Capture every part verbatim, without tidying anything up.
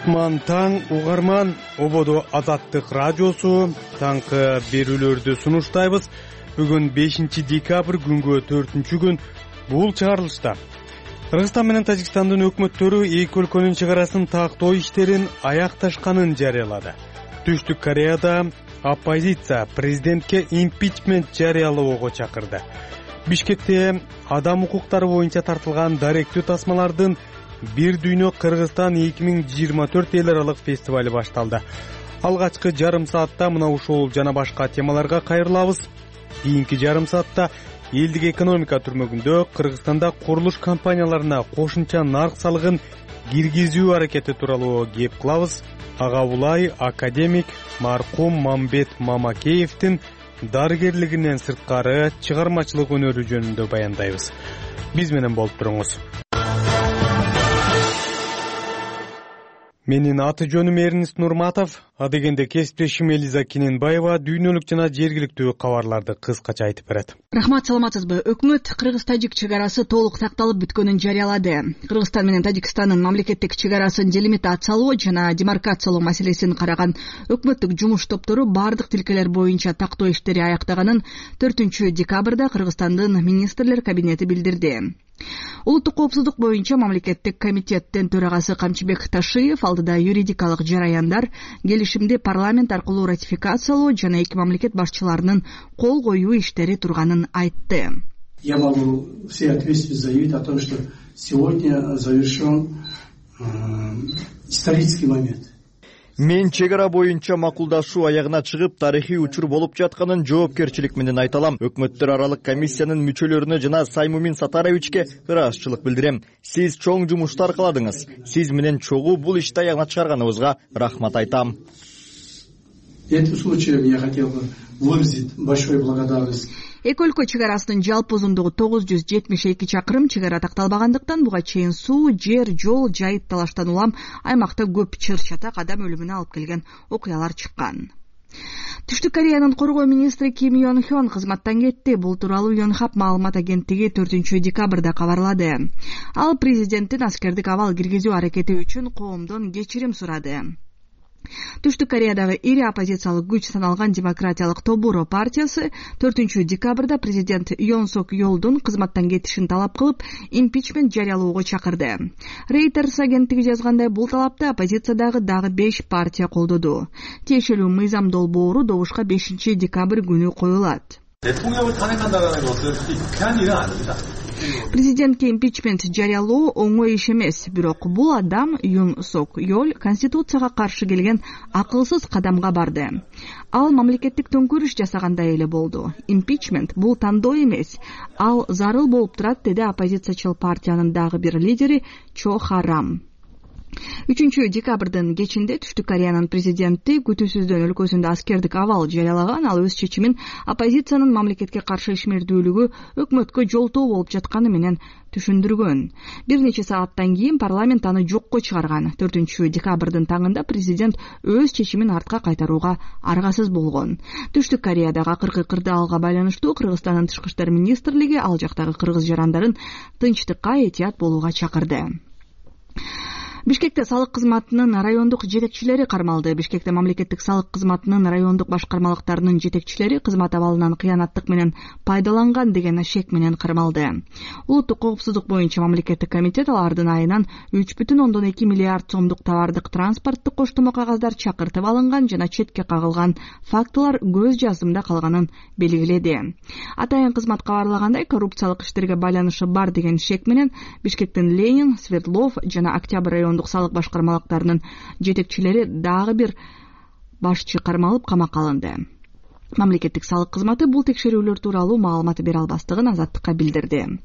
кутман таң угарман, ободо Азаттык радиосу таңкы берүүлөрдү сунуштайбыз. Бүгүн бешинчи декабрь күнгө төртүнчү күн. Бул чыгарылышта Кыргызстан менен Тажикстандын өкмөттөрү эки өлкөнүн чек арасын тактоо иштерин аякташканын жарыялады. Түштүк Кореяда оппозиция президентке импичмент жарыялоого чакырды. Бишкекте адам укуктары боюнча тартылган даректүү тасмалардын Бир дүйнө Кыргызстан эки миң жыйырма төрт эл аралык фестивали башталды. Алгачкы жарым саатта мына ушул жана башка темаларга кайрылабыз. Кийинки жарым саатта элдик экономика түрмөгүндө Кыргызстанда курулуш компанияларына кошумча нарк салыгын киргизүү аракети тууралуу кеп кылабыз. Ага улай академик маркум Мамбет Мамакеевдин дарыгерлигинен сырткары чыгармачылык өнөрү жөнүндө баяндайбыз. Биз менен болуп туруңуз. Менин аты жөнүм Эрнис Нурматов, адегенде кесиптешим Элиза Киненбаева дүйнөлүк жана жергиликтүү кабарларды кыскача айтып берет. Рахмат, саламатсызбы? Өкмөт Кыргыз-Тажик чек арасы толук такталып бүткөнүн жарыялады. Кыргызстан менен Тажикстандын мамлекеттик чек арасын делимитациялоо жана демаркациялоо маселесин караган өкмөттүк жумуш топтору бардык тилкелер боюнча тактоо иштери аяктаганын төртүнчү декабрда Кыргызстандын министрлер кабинети билдирди. Улуттук коопсуздук боюнча мамлекеттик комитеттин төрагасы Камчыбек Ташиев алдыда юридикалык жараяндар келишимди парламент аркылуу ратификациялоо жана эки мамлекет башчыларынын кол коюу иштери турганын айтты. Я могу все ответственно заявить о том, что сегодня завершен э, исторический момент. Мен чек ара боюнча макулдашуу аягына чыгып, тарыхый учур болуп жатканын жоопкерчилик менен айта алам. Өкмөттөр аралык комиссиянын мүчөлөрүнө жана Саймумин Сатаровичке ыраазычылык билдирем. Сиз чоң жумушту аркаладыңыз. Сиз менен чогуу бул ишти аягына чыгарганыбызга рахмат айтам. Этим случаем я хотел бы выразить большую благодарность. Эки өлкө чек арасынын жалпы узундугу тогуз жүз жетимиш эки чакырым, чек ара такталбагандыктан буга чейин суу, жер, жол, жайыт талаштан улам аймакта көп чыр-чатак адам өлүмүнө алып келген окуялар чыккан. Түштүк Кореянын коргоо министри Ким Йон Хён кызматтан кетти. Бул тууралуу Йонхап маалымат агенттиги төртүнчү декабрда кабарлады. Ал президенттин аскердик абал киргизүү аракети үчүн коомдон кечирим сурады. Түштүк Кореядагы ири оппозициялык күч саналган Демократиялык Тобуро партиясы төртүнчү декабрда президент Йон Сок Йолдун кызматтан кетишин талап кылып, импичмент жарыялоого чакырды. Reuters агенттиги жазгандай, бул талапты оппозициядагы дагы беш партия колдоду. Тиешелүү мыйзам долбоору добушка бешинчи декабрь күнү коюлат. Президентке импичмент жарыялоо оңой иш эмес, бирок бул адам Юн Сок Йол конституцияга каршы келген акылсыз кадамга барды. Ал мамлекеттик төңкөрүш жасагандай эле болду. Импичмент бул тандоо эмес, ал зарыл болуп турат, деди оппозициячыл партиянын дагы бир лидери Чо Харам. үчүнчү декабрдын кечинде Түштүк Кореянын президенти күтүүсүздөн өлкөсүндө аскердик абал жарыялаган. Ал өз чечимин оппозициянын мамлекетке каршы ишмердүүлүгү өкмөткө жолтоо болуп жатканы менен түшүндүргөн. Бир нече сааттан кийин парламент аны жокко чыгарган. төртүнчү декабрдын таңында президент өз чечимин артка кайтарууга аргасыз болгон. Түштүк Кореядагы акыркы кырдаалга байланыштуу Кыргызстандын тышкы иштер министрлиги ал жактагы кыргыз жарандарын тынчтыкка, этият болууга чакырды. Бишкекте салык кызматынын райондук жетекчилери кармалды. Бишкекте мамлекеттик салык кызматынын райондук башкармалыктарынын жетекчилери кызмат абалынан кыянаттык менен пайдаланган деген шек менен кармалды. Улуттук коопсуздук боюнча мамлекеттик комитет алардын айынан үч бүтүн ондон эки миллиард сомдук товардык транспорттук коштомо кагаздар чакыртып алынган жана четке кагылган фактылар көз жаздымда калганын белгиледи. Атайын кызмат кабарлагандай, коррупциялык иштерге байланышы бар деген шек менен Бишкектин Ленин, Свердлов жана Октябрь район салык башкармалыктарынын жетекчилери дагы бир башчы кармалып камакка алынды. Мамлекеттик салык кызматы бул текшерүүлөр тууралуу маалымат бере албастыгын Азаттыкка билдирди.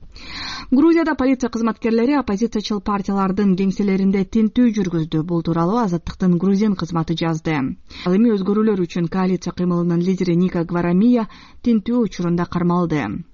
Грузияда полиция кызматкерлери оппозициячыл партиялардын кеңселеринде тинтүү жүргүздү. Бул тууралуу Азаттыктын грузин кызматы жазды. Ал эми өзгөрүүлөр үчүн коалиция кыймылынын лидери Ника Гварамия тинтүү учурунда кармалды.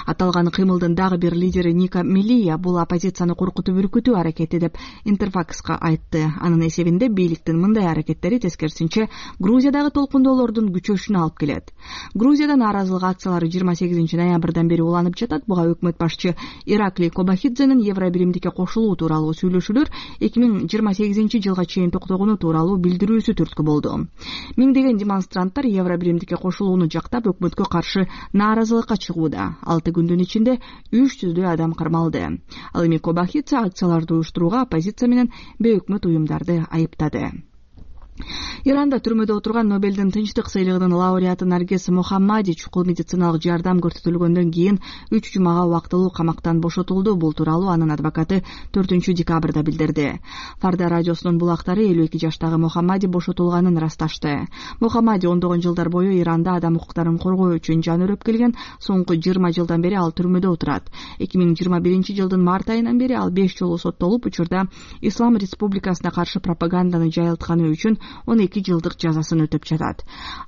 Аталган кыймылдын дагы бир лидери Ника Мелия бул оппозицияны коркутуп үркүтүү аракети деп Интерфакска айтты. Анын эсебинде бийликтин мындай аракеттери тескерисинче Грузиядагы толкундоолордун күчөшүнө алып келет. Грузияда нааразылык акциялары жыйырма сегизинчи ноябрдан бери уланып жатат. Буга өкмөт башчы Ираклий Кобахидзенин Евробиримдикке кошулуу тууралуу сүйлөшүүлөр эки миң жыйырма сегизинчи жылга чейин токтогону тууралуу билдирүүсү түрткү болду. Миңдеген демонстранттар Евробиримдикке кошулууну жактап өкмөткө каршы нааразылыкка чыгууда. алты күндүн ичинде үч жүздөй адам кармалды. Ал эми Кобахидзе акцияларды уюштурууга оппозиция менен бейөкмөт уюмдарды айыптады. Иранда түрмөдө отурган Нобелдин тынчтык сыйлыгынын лауреаты Наргиз Мохаммади чукул медициналык жардам көрсөтүлгөндөн кийин үч жумага убактылуу камактан бошотулду. Бул тууралуу анын адвокаты төртүнчү декабрда билдирди. Фарда радиосунун булактары элүү эки жаштагы Мохаммади бошотулганын ырасташты. Мохаммади ондогон жылдар бою Иранда адам укуктарын коргоо үчүн жан өрөп келген. Соңку жыйырма жылдан бери ал түрмөдө отурат. эки миң жыйырма биринчи жылдын март айынан бери ал беш жолу соттолуп, учурда Ислам Республикасына каршы пропаганданы жайылтканы үчүн он эки жылдык жазасын өтөп жатат.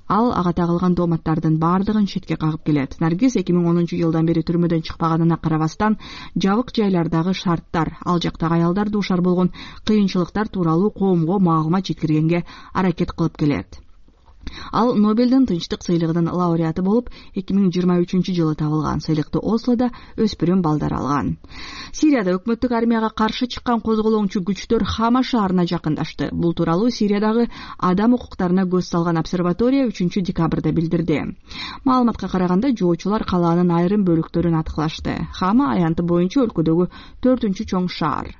Ал ага тагылган дооматтардын баардыгын четке кагып келет. Наргиз эки миң онунчу жылдан бери түрмөдөн чыкпаганына карабастан жабык жайлардагы шарттар, ал жактагы аялдар дуушар болгон кыйынчылыктар тууралуу коомго маалымат жеткиргенге аракет кылып келет. Ал Нобелдин тынчтык сыйлыгынын лауреаты болуп, эки миң жыйырма үчүнчү жылы табылган. Сыйлыкты Ослода өспүрүм балдар алган. Сирияда өкмөттүк армияга каршы чыккан козголоңчу күчтөр Хама шаарына жакындашты. Бул тууралуу Сириядагы адам укуктарына көз салган обсерватория үчүнчү декабрда билдирди. Маалыматка караганда, жоочулар калаанын айрым бөлүктөрүн аткылашты. Хама аянты боюнча өлкөдөгү төртүнчү чоң шаар.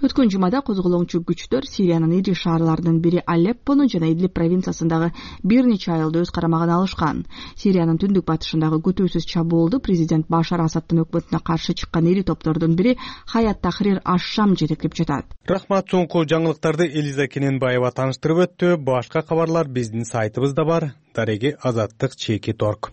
Өткөн жумада козголоңчу күчтөр Сириянын ири шаарларынын бири Алеппону жана Идлиб провинциясындагы бир нече айылды өз карамагына алышкан. Сириянын түндүк батышындагы күтүүсүз чабуулду президент Башар Асадтын өкмөтүнө каршы чыккан ири топтордун бири Хаят Тахрир аш-Шам жетектеп жатат. Рахмат, соңку жаңылыктарды Элиза Кененбаева тааныштырып өттү. Башка кабарлар биздин сайтыбызда бар. Дареги азаттык чеки торг.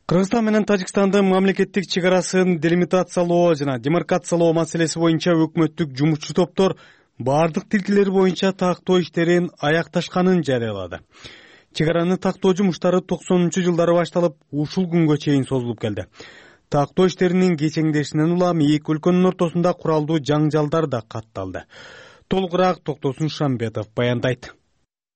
Кыргызстан менен Тажикстандын мамлекеттик чек арасын делимитациялоо жана демаркациялоо маселеси боюнча өкмөттүк жумушчу топтор бардык тилкелер боюнча тактоо иштерин аякташканын жарыялады. Чек араны тактоо жумуштары токсонунчу жылдары башталып, ушул күнгө чейин созулуп келди. Тактоо иштеринин кечеңдешинен улам эки өлкөнүн ортосунда куралдуу жаңжалдар да катталды. Толугураак Токтосун Шамбетов баяндайт.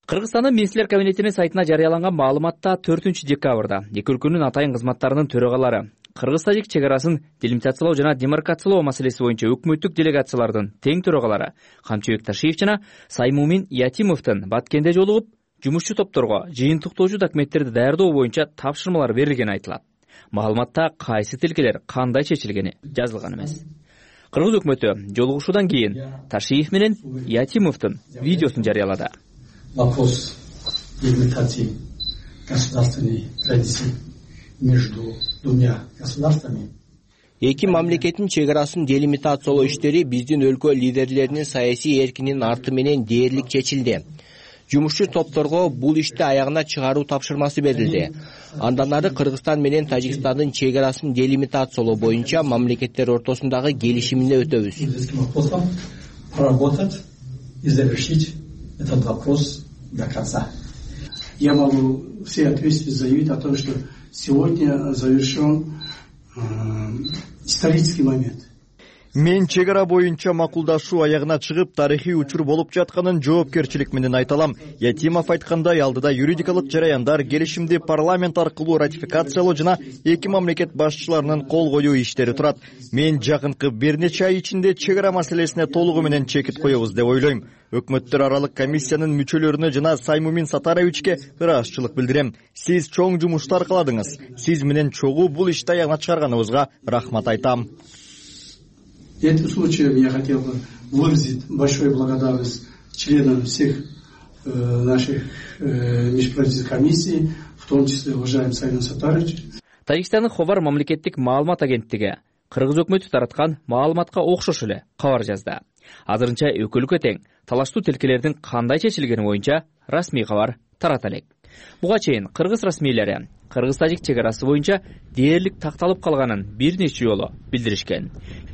Кыргызстандын министрлер кабинетинин сайтына жарыяланган маалыматта төртүнчү декабрда эки өлкөнүн атайын кызматтарынын төрагалары Кыргыз-Тажик чек арасын делимитациялоо жана демаркациялоо маселеси боюнча өкмөттүк делегациялардын тең төрагалары Камчыбек Ташиев жана Саймумин Ятимовдун Баткенде жолугуп, жумушчу топторго жыйынтыктоочу документтерди даярдоо боюнча тапшырмалар берилгени айтылат. Маалыматта кайсы тилкелер кандай чечилгени жазылган эмес. Кыргыз өкмөтү жолугушуудан кийин Ташиев менен Ятимовдун видеосун жарыялады. Вопрос делимитации государственной границы между двумя государствами. Эки мамлекеттин чек арасын делимитациялоо иштери биздин өлкө лидерлеринин саясий эркинин арты менен дээрлик чечилди. Жумушчу топторго бул ишти аягына чыгаруу тапшырмасы берилди. Андан ары Кыргызстан менен Тажикстандын чек арасын делимитациялоо боюнча мамлекеттер ортосундагы келишимине өтөбүз. Проработать и завершить этот вопрос до конца. Я могу всей ответственности заявить о том, что сегодня завершен э, исторический момент. Мен чек ара боюнча макулдашуу аягына чыгып, тарыхый учур болуп жатканын жоопкерчилик менен айталам. Ятимов айткандай, алдыда юридикалык жараяндар, келишимди парламент аркылуу ратификациялоо жана эки мамлекет башчыларынын кол коюу иштери турат. Мен жакынкы бир нече ай ичинде чек ара маселесине толугу менен чекит коебуз деп ойлойм. Өкмөттөр аралык комиссиянын мүчөлөрүнө жана Саймумин Сатаровичке ыраазычылык билдирем. Сиз чоң жумуштар кыладыңыз. Сиз менен чогуу бул ишти аягына чыгарганыбызга рахмат айтам. Этим случаем я хотел бы выразить большую благодарность членам всех э, наших э, межправительственных комиссий, в том числе уважаемый Саймун Сатарович. Тажикстандын Ховар мамлекеттик маалымат агенттиги Кыргыз өкмөтү тараткан маалыматка окшош эле кабар жазды. Азырынча экөө өлкө тең талаштуу тилкелердин кандай чечилгени боюнча расмий кабар тарата элек. Буга чейин кыргыз расмийлери кыргыз-тажик чек арасы боюнча дээрлик такталып калганын бир нече жолу билдиришкен.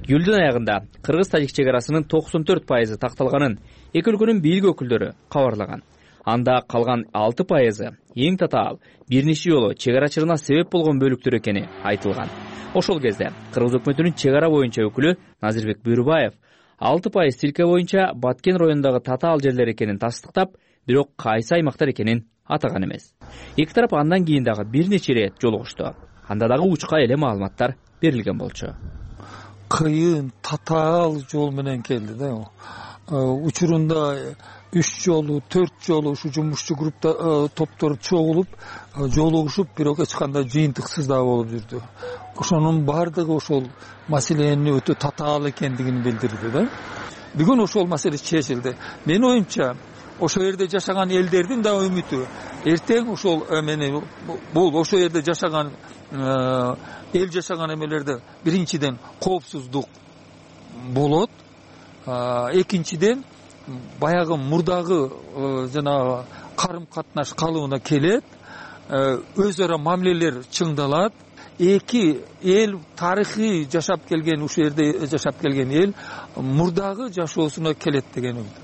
Июлдун аягында кыргыз-тажик чек арасынын токсон төрт пайызы такталганын эки өлкөнүн бийлик өкүлдөрү кабарлаган. Анда калган алты пайызы эң татаал бир нече жолу чек ара чырына себеп болгон бөлүктөр экени айтылган. Ошол кезде кыргыз өкмөтүнүн чек ара боюнча өкүлү Назирбек Бүйрүбаев алты пайыз тилке боюнча Баткен районундагы татаал жерлер экенин тастыктап, бирок кайсы аймактар экенин атаган эмес. Эки тарап андан кийин дагы бир нече ирет жолугушту. Анда дагы учка эле маалыматтар берилген болчу. Кыйын татаал жол менен келди да. Учурунда үч жолу, төрт жолу ушу жумушчу группа топтор чогулуп, жолугушуп, бирок эч кандай жыйынтыксыз да болуп жүрдү. Ошонун баардыгы ошол маселенин өтө татаал экендигин билдирди да. Бүгүн ошол маселе чечилди. Менин оюмча, ошол жерде жашаган элдердин да үмүтү эртең ошол эмени бул ошол жерде жашаган эл жашаган эмелерде биринчиден коопсуздук болот, экинчиден баягы мурдагы жанагы карым катнаш калыбына келет, өз ара мамилелер чыңдалат. Эки эл тарыхый жашап келген, ушул жерде жашап келген эл мурдагы жашоосуна келет деген үмүт.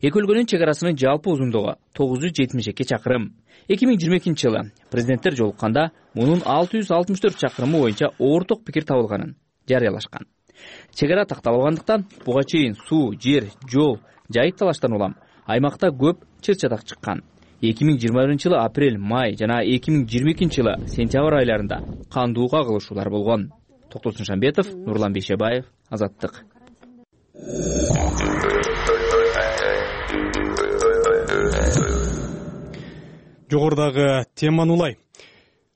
Эки өлкөнүн чек арасынын жалпы узундугу тогуз жүз жетимиш эки чакырым. эки миң жыйырма экинчи жылы президенттер жолукканда мунун алты жүз алтымыш төрт чакырымы боюнча орток пикир табылганын жарыялашкан. Чек ара такталбагандыктан буга чейин суу, жер, жол, жайыт талаштан улам аймакта көп чыр-чатак чыккан. эки миң жыйырма биринчи жылы апрель, май жана эки миң жыйырма экинчи жылы сентябрь айларында кандуу кагылышуулар болгон. Токтосун Шамбетов, Нурлан Бейшебаев, Азаттык. Жогорудагы теманы улай.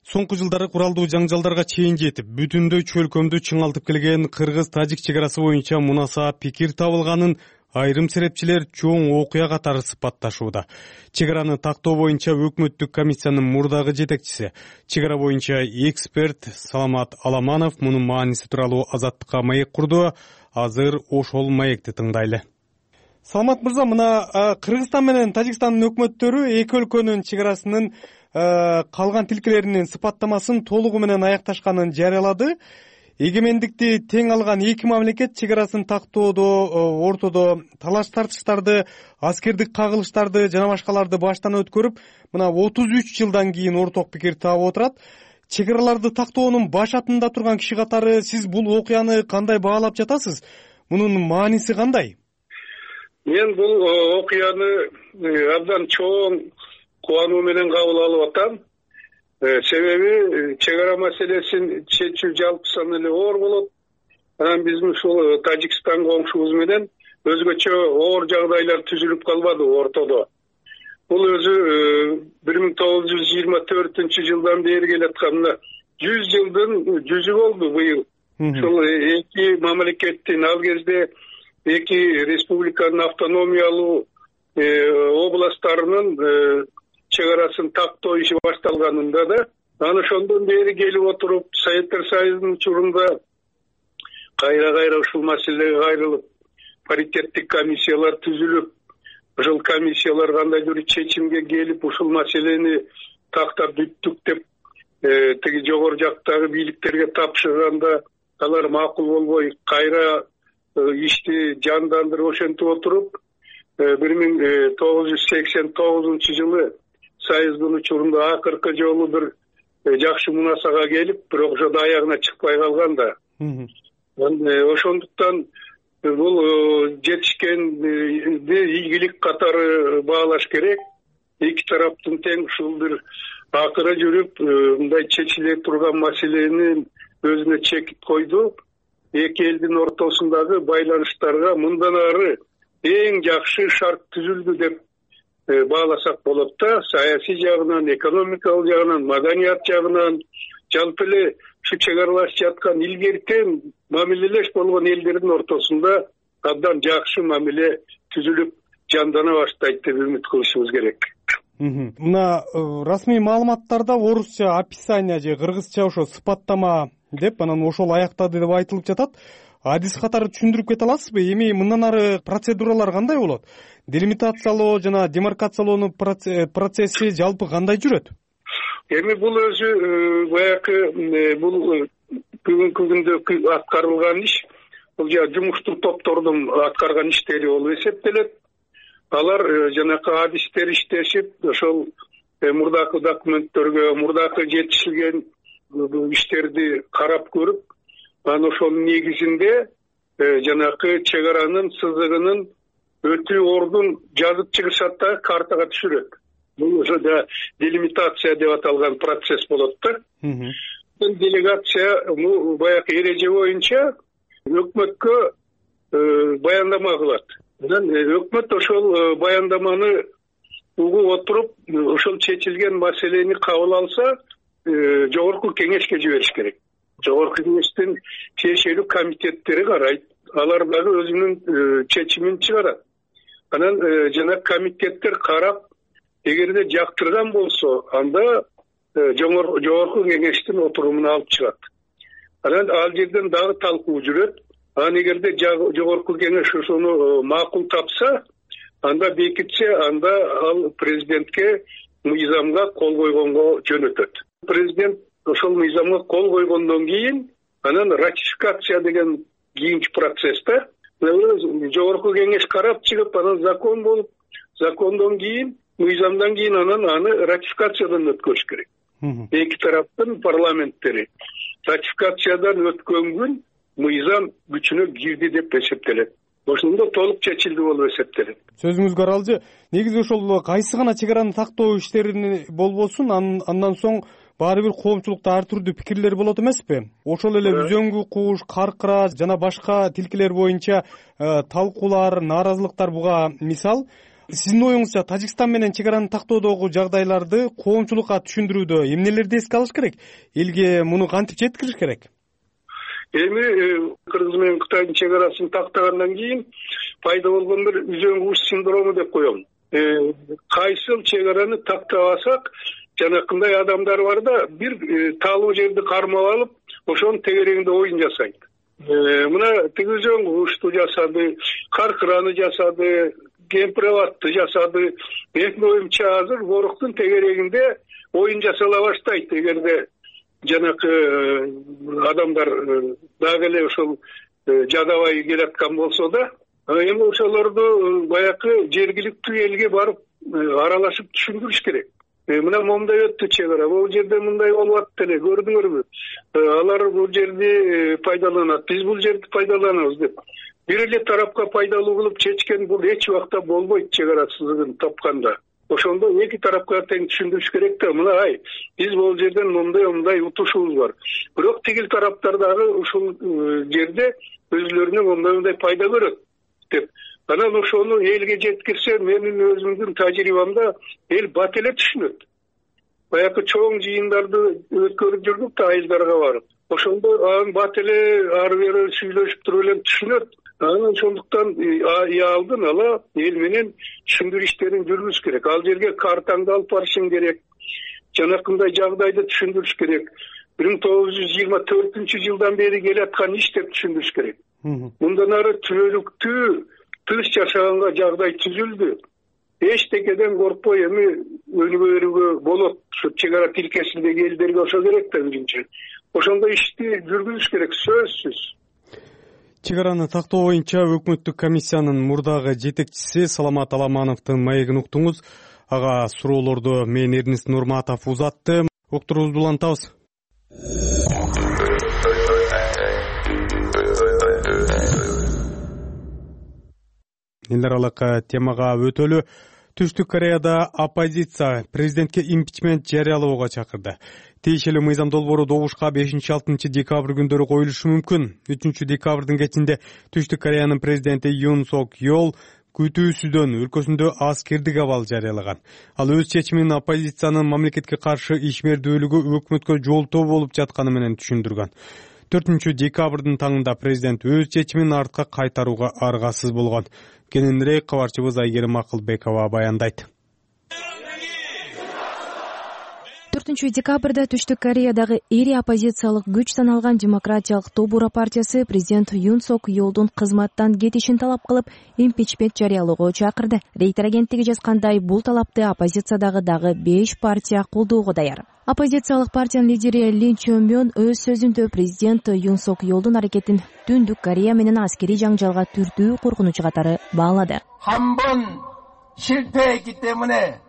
Соңку жылдары куралдуу жаңжалдарга чейин жетип, бүтүндөй чөлкөмдү чыңалтып келген кыргыз-тажик чек арасы боюнча мунаса пикир табылганын айрым серепчилер чоң окуя катары сыпатташууда. Чек араны тактоо боюнча өкмөттүк комиссиянын мурдагы жетекчиси, чек ара боюнча эксперт Саламат Аламанов мунун мааниси тууралуу Азаттыкка маек курду. Азыр ошол маекти тыңдайлы. Саламат мырза, мына Кыргызстан менен Тажикстандын өкмөттөрү эки өлкөнүн чек арасынын калган тилкелеринин сыпаттамасын толугу менен аякташканын жарыялады. Эгемендикти тең алган эки мамлекет чек арасын тактоодо ортодо талаш тартыштарды, аскердик кагылыштарды жана башкаларды баштан өткөрүп, мына отуз үч жылдан кийин орток пикир таап отурат. Чек араларды тактоонун баш атында турган киши катары сиз бул окуяны кандай баалап жатасыз? Мунун мааниси кандай? Мен бул окуяны абдан чоң кубануу менен кабыл алып атам. Себеби чек ара маселесин чечүү жалпысынан эле оор болот. Анан биздин ушул Тажикстан коңшубуз менен өзгөчө оор жагдайлар түзүлүп калбады ортодо. Бул өзү бир миң тогуз жүз жыйырма төртүнчү жылдан бери келаткан жүз жылдын жүзү болду быйыл. Ушул эки мамлекеттин ал кезде эки республиканын автономиялуу областтарынын чек арасын тактоо иши башталганында да, анан ошондон бери келип отуруп, Советтер Союзунун учурунда кайра-кайра ушул маселеге кайрылып, паритеттик комиссиялар түзүлүп, ушул комиссиялар кандайдыр чечимге келип, ушул маселени тактап бүттүк деп тиги жогору жактагы бийликтерге тапшырганда, алар макул болбой, кайра ишти жандандырып ошентип отуруп, бир миң тогуз жүз сексен тогузунчу жылы Союздун учурунда акыркы жолу бир жакшы мунасага келип, бирок ошо аягына чыкпай калган да. Ошондуктан бул жетишкенди ийгилик катары баалаш керек. Эки тараптын тең ушул бир акыры жүрүп, мындай чечиле турган маселени өзүнө чекип койду. Эки элдин ортосундагы байланыштарга мындан ары эң жакшы шарт түзүлдү деп бааласак болот да. Саясий жагынан, экономикалык жагынан, маданият жагынан, жалпы эле ушу чек аралашып жаткан илгертен мамилелеш болгон элдердин ортосунда абдан жакшы мамиле түзүлүп жандана баштайт деп үмүт кылышыбыз керек. Мына расмий маалыматтарда орусча описание же кыргызча ошо сыпаттама деп анан ошол аяктады деп айтылып жатат. адис катары түшүндүрүп кете аласызбы? Эми мындан ары процедуралар кандай болот? Делимитациялоо жана демаркациялоонун процесси жалпы кандай жүрөт? Эми бул өзү баягы бул бүгүнкү күндө аткарылган иш, бул жумуштук топтордун аткарган иштери болуп эсептелет. Алар жанакы адистер иштешип, ошол мурдакы документтерге, мурдакы жетишилген иштерди карап көрүп, анан ошонун негизинде жанакы чек аранын сызыгынын өтүү ордун жазып чыгышат да картага түшүрөт. Бул ошо да делимитация деп аталган процесс болот да. Делегация баягы эреже боюнча өкмөткө баяндама кылат. Анан өкмөт ошол баяндаманы угуп отуруп, ошол чечилген маселени кабыл алса, жогорку кеңешке жибериш керек. Жогорку кеңештин тиешелүү комитеттери карайт. Алар дагы өзүнүн чечимин чыгарат. Анан жана комитеттер карап, эгерде жактырган болсо, анда жогорку кеңештин отурумуна алып чыгат. Анан ал жерден дагы талкуу жүрөт. Анан эгерде жогорку кеңеш ошону макул тапса, анда бекитсе, анда ал президентке мыйзамга кол койгонго жөнөтөт. Президент ошол мыйзамга кол койгондон кийин, анан ратификация деген кийинки процессте жогорку кеңеш карап чыгып, анан закон болуп, закондон кийин, мыйзамдан кийин анан аны ратификациядан өткөрүш керек. Эки тараптын парламенттери ратификациядан өткөн күн мыйзам күчүнө кирди деп эсептелет. Ошондо толук чечилди болуп эсептелет. Сөзүңүзгө аралжы, негизи ошол кайсы гана чек араны тактоо иштерин болбосун, андан соң баары бир коомчулукта ар түрдүү пикирлер болот эмеспи? Ошол эле үзөңгү куш, каркыра жана башка тилкелер боюнча талкуулар, нааразылыктар буга мисал. Сиздин оюңузча Тажикстан менен чек араны тактоодогу жагдайларды коомчулукка түшүндүрүүдө эмнелерди эске алыш керек? Элге муну кантип жеткириш керек? Эми Кыргыз менен Кытайдын чек арасын тактагандан кийин пайда болгон бир үзөңгү куш синдрому деп коем. Кайсыл чек араны тактабасак, жанакындай адамдар бар да, бир таалуу жерди кармап алып, ошонун тегерегинде оюн жасайт. Мына тиги үзөңгү кушту жасады, каркыраны жасады, кемпирабатты жасады. Менин оюмча азыр Воруктун тегерегинде оюн жасала баштайт, эгерде жанакы адамдар дагы эле ошол жадабай келаткан болсо да. Эми ошолорду баягы жергиликтүү элге барып аралашып түшүндүрүш керек. Мына момундай өттү чек ара, бул жерде мындай болуп атты эле, көрдүңөрбү? Алар бул жерди пайдаланат, биз бул жерди пайдаланабыз деп. Бир эле тарапка пайдалуу кылып чечкен бул эч убакта болбойт чек ара сызыгын тапканда. Ошондо эки тарапка тең түшүндүрүш керек да, мына ай, биз бул жерден мындай-мындай утушубуз бар. Бирок тигил тараптар дагы ушул жерде өзүлөрүнө мындай-мындай пайда көрөт деп. Анан ошону элге жеткирсе, менин өзүмдүн тажрыйбамда эл бат эле түшүнөт. Баягы чоң жыйындарды өткөрүп жүрдүк да айылдарга барып. Ошондо анан бат эле ары бери сүйлөшүп туруп эле түшүнөт. Анан ошондуктан алдын ала эл менен түшүндүрүү иштерин жүргүзүш керек. Ал жерге картаңды алып барышың керек. Жанакындай жагдайды түшүндүрүш керек. бир миң тогуз жүз жыйырма төртүнчү жылдан бери келаткан иш деп түшүндүрүш керек. Мындан ары түбөлүктүү тыныч жашаганга жагдай түзүлдү. Эчтекеден коркпой эми өнүгө берүүгө болот. Ушу чек ара тилкесиндеги элдерге ошо керек да өзүнчө. Ошондой ишти жүргүзүш керек, сөзсүз. Чек араны тактоо боюнча өкмөттүк комиссиянын мурдагы жетекчиси Саламат Аламановдун маегин уктуңуз. Ага суроолорду мен Эрнест Нурматов узатты. Уктуруубузду улантабыз. Эл аралык темага өтөлү. Түштүк Кореяда оппозиция президентке импичмент жарыялоого чакырды. Тиешелүү мыйзам долбоору добушка бешинчи алтынчы декабрь күндөрү коюлушу мүмкүн. үчүнчү декабрдын кечинде Түштүк Кореянын президенти Юн Сок Йол күтүүсүздөн өлкөсүндө аскердик абал жарыялаган. Ал өз чечимин оппозициянын мамлекетке каршы ишмердүүлүгү өкмөткө жолтоо болуп жатканы менен түшүндүргөн. төртүнчү декабрдын таңында президент өз чечимин артка кайтарууга аргасыз болгон. Кененирээк кабарчыбыз Айгерим Акылбекова баяндайт. төртүнчү декабрда Түштүк Кореядагы эри оппозициялык күч саналган Демократиялык Тобура партиясы президент Юн Сок Йолдун кызматтан кетишин талап кылып, импичмент жарыялоого чакырды. Рейтер агенттиги жазгандай, бул талапты оппозициядагы дагы беш партия колдоого даяр. Оппозициялык партиянын лидери Ли Чо Мён өз сөзүндө президент Юн Сок Йолдун аракетин Түндүк Корея менен аскерий жаңжалга түртүү коркунучу катары баалады.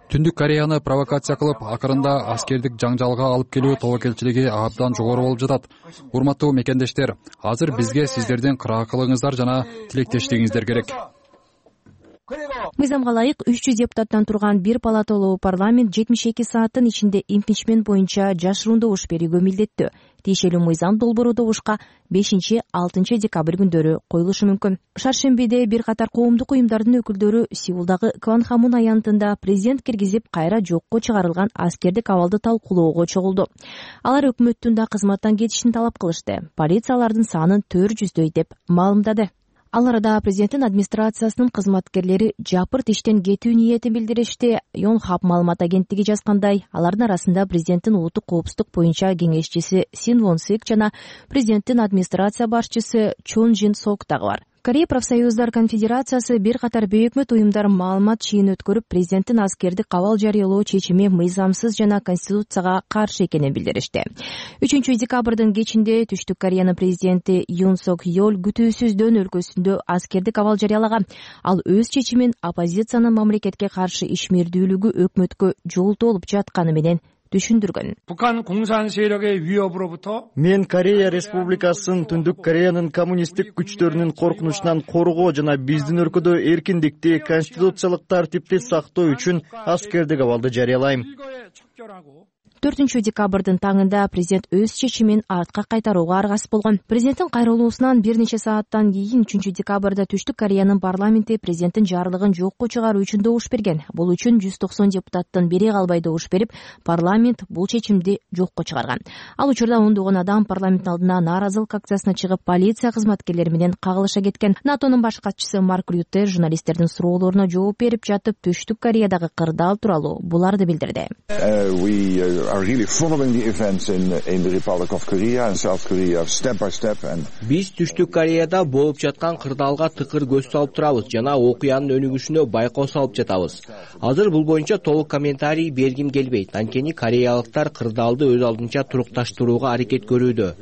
Түндүк Кореяны провокация кылып, акырында аскердик жаңжалга алып келүү тобокелчилиги абдан жогору болуп жатат. Урматтуу мекендештер, азыр бизге сиздердин кыраакылыгыңыздар жана тилектештигиңиздер керек. Мыйзамга ылайык үч жүз депутаттан турган бир палаталуу парламент жетимиш эки сааттын ичинде импичмент боюнча жашыруун добуш берүүгө милдеттүү. Тиешелүү мыйзам долбоору добушка бешинчи алтынчы декабрь күндөрү коюлушу мүмкүн. Шаршембиде бир катар коомдук уюмдардын өкүлдөрү Сеулдагы Кванхамун аянтында президент киргизип кайра жокко чыгарылган аскердик абалды талкуулоого чогулду. Алар өкмөттүн да кызматтан кетишин талап кылышты. Полиция алардын санын төрт жүздөй деп маалымдады. Ал арада президенттин администрациясынын кызматкерлери жапырт иштен кетүү ниетин билдиришти. Yonhap маалымат агенттиги жазгандай, алардын арасында президенттин улуттук коопсуздук боюнча кеңешчиси Син Вон Сик жана президенттин администрация башчысы Чон Жин Сок дагы бар. Корея профсоюздар конфедерациясы бир катар бейөкмөт уюмдар маалымат чыйын өткөрүп, президенттин аскердик кабал жарыялоо чечими мыйзамсыз жана конституцияга каршы экенин билдиришти. үчүнчү декабрдын кечинде Түштүк Кореянын президенти Юн Сок Йол күтүүсүздөн өлкөсүндө аскердик кабал жарыялаган. Ал өз чечимин оппозициянын мамлекетке каршы ишмердүүлүгү өкмөткө жолтоо болуп жатканы менен түшүндүргөн. Мен Корея Республикасынын Түндүк Кореянын коммунисттик күчтөрүнүн коркунучунан коргоо жана биздин өлкөдө эркиндикти, конституциялык тартипти сактоо үчүн аскердик абалды жарыялайм. төртүнчү декабрдын таңында президент өз чечимин артка кайтарууга аргасыз болгон. Президенттин кайрылуусунан бир нече сааттан кийин үчүнчү декабрда Түштүк Кореянын парламенти президенттин жарлыгын жокко чыгаруу үчүн добуш берген. Бул үчүн жүз токсон депутаттын бири калбай добуш берип, парламент бул чечимди жокко чыгарган. Ал учурда ондогон адам парламенттин алдына нааразылык акциясына чыгып, полиция кызматкерлери менен кагылыша кеткен. НАТОнун баш катчысы Марк Рютте журналисттердин суроолоруна жооп берип жатып, Түштүк Кореядагы кырдаал тууралуу буларды билдирди. Are really following the events in in the Republic of Korea and South Korea step by step and Биз Түштүк Кореяда болуп жаткан кырдаалга тыкыр көз салып турабыз жана окуянын өнүгүшүнө байкоо салып жатабыз. Азыр бул боюнча толук комментарий бергим келбейт. Анткени кореялыктар кырдаалды өз алдынча турукташтырууга аракет көрүүдө.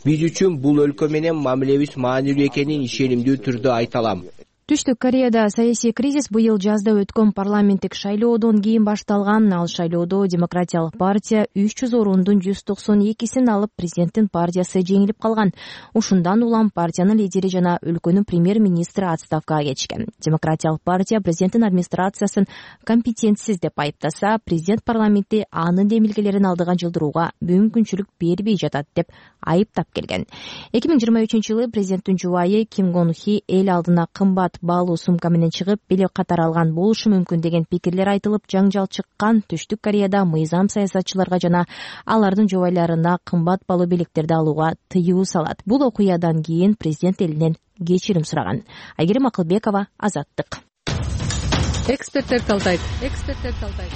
Биз үчүн бул өлкө менен мамилебиз маанилүү экенин ишенимдүү түрдө айта алам. Түштүк Кореяда саясий кризис быйыл жазда өткөн парламенттик шайлоодон кийин башталган. Ал шайлоодо Демократиялык партия үч жүз орундун жүз токсон экисин алып, президенттин партиясы жеңилип калган. Ушундан улам партиянын лидери жана өлкөнүн премьер-министри отставкага кетишкен. Демократиялык партия президенттин администрациясын компетентсиз деп айыптаса, президент парламентти анын демилгелерин алдыга жылдырууга мүмкүнчүлүк бербей жатат деп айыптап келген. эки миң жыйырма үчүнчү жылы президенттин жубайы Ким Гон Хи эл алдына кымбат баалуу сумка менен чыгып, билек катар алган болушу мүмкүн деген пикирлер айтылып, жаңжал чыккан. Түштүк Кореяда мыйзам саясатчыларга жана алардын жубайларына кымбат баалуу билектерди алууга тыюу салат. Бул окуядан кийин президент элинен кечирим сураган. Айгерим Акылбекова, Азаттык. Эксперттер талдайт. Эксперттер талдайт.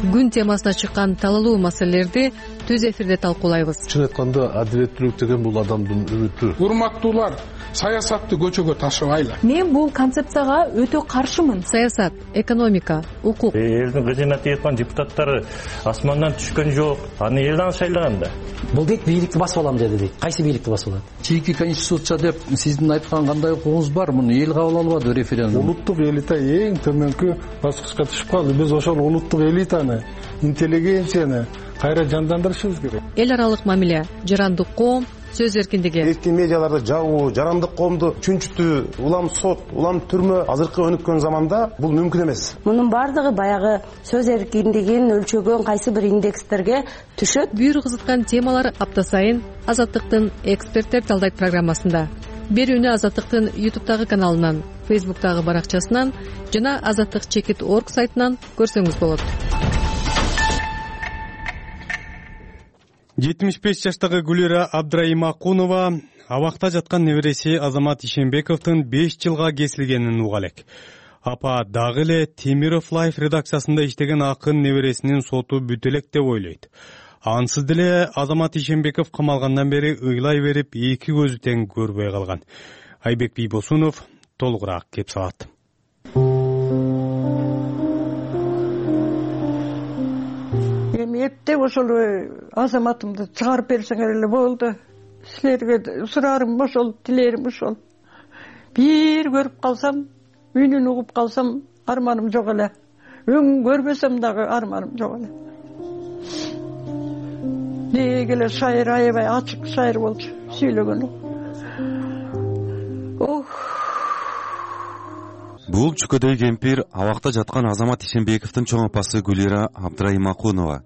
Күн темасына чыккан талалуу маселелерди түз эфирде талкуулайбыз. Чын айтканда, адилеттүүлүк деген бул адамдын үмүтү. Урматтуулар, саясатты көчөгө ташыбайлы. Мен бул концепцияга өтө каршымын. Саясат, экономика, укук. Элдин кызмат эткан депутаттары асмандан түшкөн жок. Аны элден шайлаган да. Бул дейт бийликти басып алам деди дейт. Кайсы бийликти басып алат? Чийки конституция деп сиздин айткан кандай укугуңуз бар? Муну эл кабыл албады референдум. Улуттук элита эң төмөнкү баскычка түшүп калды. Биз ошол улуттук элитаны, интеллигенцияны кайра жандандырышыбыз керек. Эл аралык мамиле, жарандык коом, сөз эркиндиги. Эркин медиаларды жабуу, жарандык коомду чүнчүтүү, улам сот, улам түрмө азыркы өнүккөн заманда бул мүмкүн эмес. Мунун бардыгы баягы сөз эркиндигин өлчөгөн кайсы бир индекстерге түшөт. Бүйүр кызыткан темалар апта сайын Азаттыктын эксперттер талдайт программасында. Берүүнү Азаттыктын ютубтагы каналынан, фейсбуктагы баракчасынан жана азаттык чекит точка орг сайтынан көрсөңүз болот. жетимиш беш жаштагы Гүлира Абдрайымакунова абакта жаткан небереси Азамат Ишенбековдун беш жылга кесилгенин уга элек. Апа дагы эле Темиров Лайф редакциясында иштеген акын небересинин соту бүтө элек деп ойлойт. Ансыз деле Азамат Ишенбеков камалгандан бери ыйлай берип, эки көзү тең көрбөй калган. Айбек Бийбосунов толугураак кеп салат. Эми эптеп ошол Азаматымды чыгарып берсеңер эле болду. Силерге сураарым ошол, тилерим ошол. Бир көрүп калсам, үнүн угуп калсам, арманым жок эле. Өң көрбөсөм дагы арманым жок эле. Деги эле шайыр аябай ачык шайыр болчу сүйлөгөнү. Ох. Бул чүкөдөй кемпир абакта жаткан Азамат Ишенбековдун чоң апасы Гүлира Абдрайымакунова.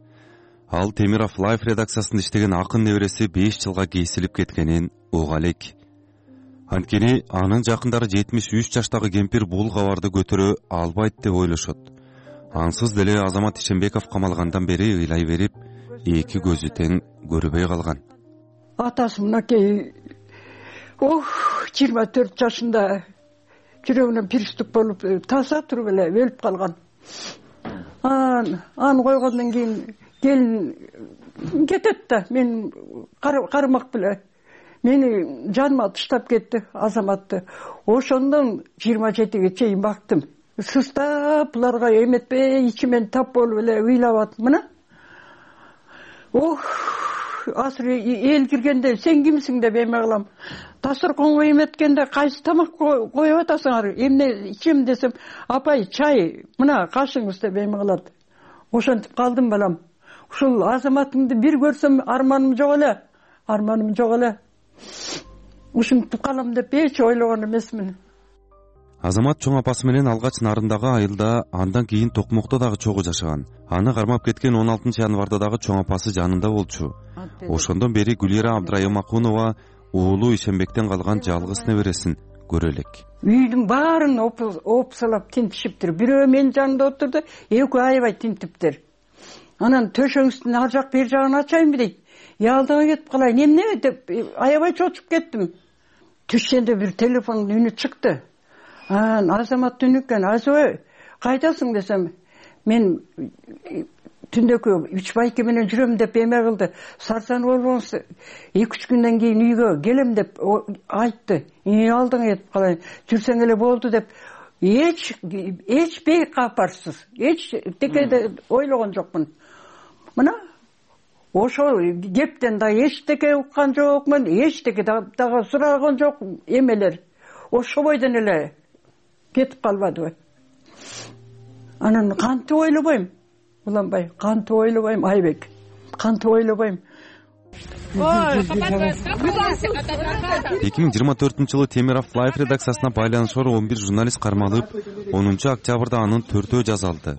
Ал Темиров Лайф редакциясында иштеген акын небереси беш жылга кесилип кеткенин уга элек. Анткени анын жакындары жетимиш үч жаштагы кемпир бул кабарды көтөрө албайт деп ойлошот. Ансыз деле Азамат Ишенбеков камалгандан бери ыйлай берип, эки көзү тең көрбөй калган. Атасы мынакей ох, жыйырма төрт жашында жүрөгүнөн приступ болуп, таза туруп эле өлүп калган. Ан, аны койгондон кийин келин кетет да, мен кармак беле. Мени жаныма таштап кетти Азаматты. Ошондон жыйырма жетиге чейин бактым. Сыстап буларга эметпей ичимен тап болуп эле ыйлап атам мына. Ох, азыр эл киргенде сен кимсиң деп эме кылам. Дасторконго эметкенде кайсы тамак коюп атасыңар? Эмне ичем десем, апай чай, мына кашыңыз деп эме кылат. Ошентип калдым балам. Ушул Азаматыңды бир көрсөм арманым жок эле. Арманым жок эле. Ушинтип калам деп эч ойлогон эмесмин. Азамат чоң апасы менен алгач Нарындагы айылда, андан кийин Токмокто дагы чогуу жашаган. Аны кармап кеткен он алтынчы январда дагы чоң апасы жанында болчу. Ошондон бери Гүлира Абдрайымакунова уулу Ишенбектен калган жалгыз небересин көрө элек. Үйдүн баарын опсалап тинтишиптир. Бирөө менин жанымда отурду, экөө аябай тинтиптир. Анан төшөңүздүн ар жак бер жагын ачайынбы дейт. Ялдыга кетип калайын, эмне деп аябай чочуп кеттим. Түшкөндө бир телефондун үнү чыкты. Анан Азамат үнү экен. Азой, кайдасың десем, мен түндөкү үч байке менен жүрөм деп эме кылды. Сарсанып болгонсуз, эки үч күндөн кийин үйгө келем деп айтты. Үй алдыңа кетип калайын, жүрсөң эле болду деп эч эч бейкапарсыз, эч текеде ойлогон жокмун. Мына ошол кептен да эчтеке уккан жокмун, эчтеке дагы сураган жок эмелер. Ошо бойдон эле кетип калбадыбы. Анан кантип ойлобойм? Уланбай, кантип ойлобойм, Айбек. Кантип ойлобойм. эки миң жыйырма төртүнчү жылы Темиров Лайф редакциясына байланышкор он бир журналист кармалып, онунчу октябрда анын төртөө жазалды.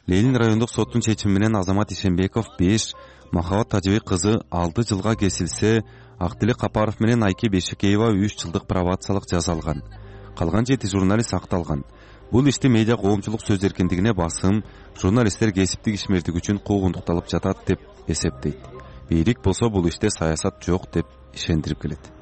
Ленин райондук соттун чечими менен Азамат Ишенбеков беш, Махабат Тажыбек кызы алты жылга кесилсе, Актилек Капаров менен Айке Бешекеева үч жылдык пробациялык жаза алган. Калган жети журналист акталган. Бул ишти медиа коомчулук сөз эркиндигине басым, журналисттер кесиптик ишмердик үчүн куугунтукталып жатат деп эсептейт. Бийлик болсо бул иште саясат жок деп ишендирип келет.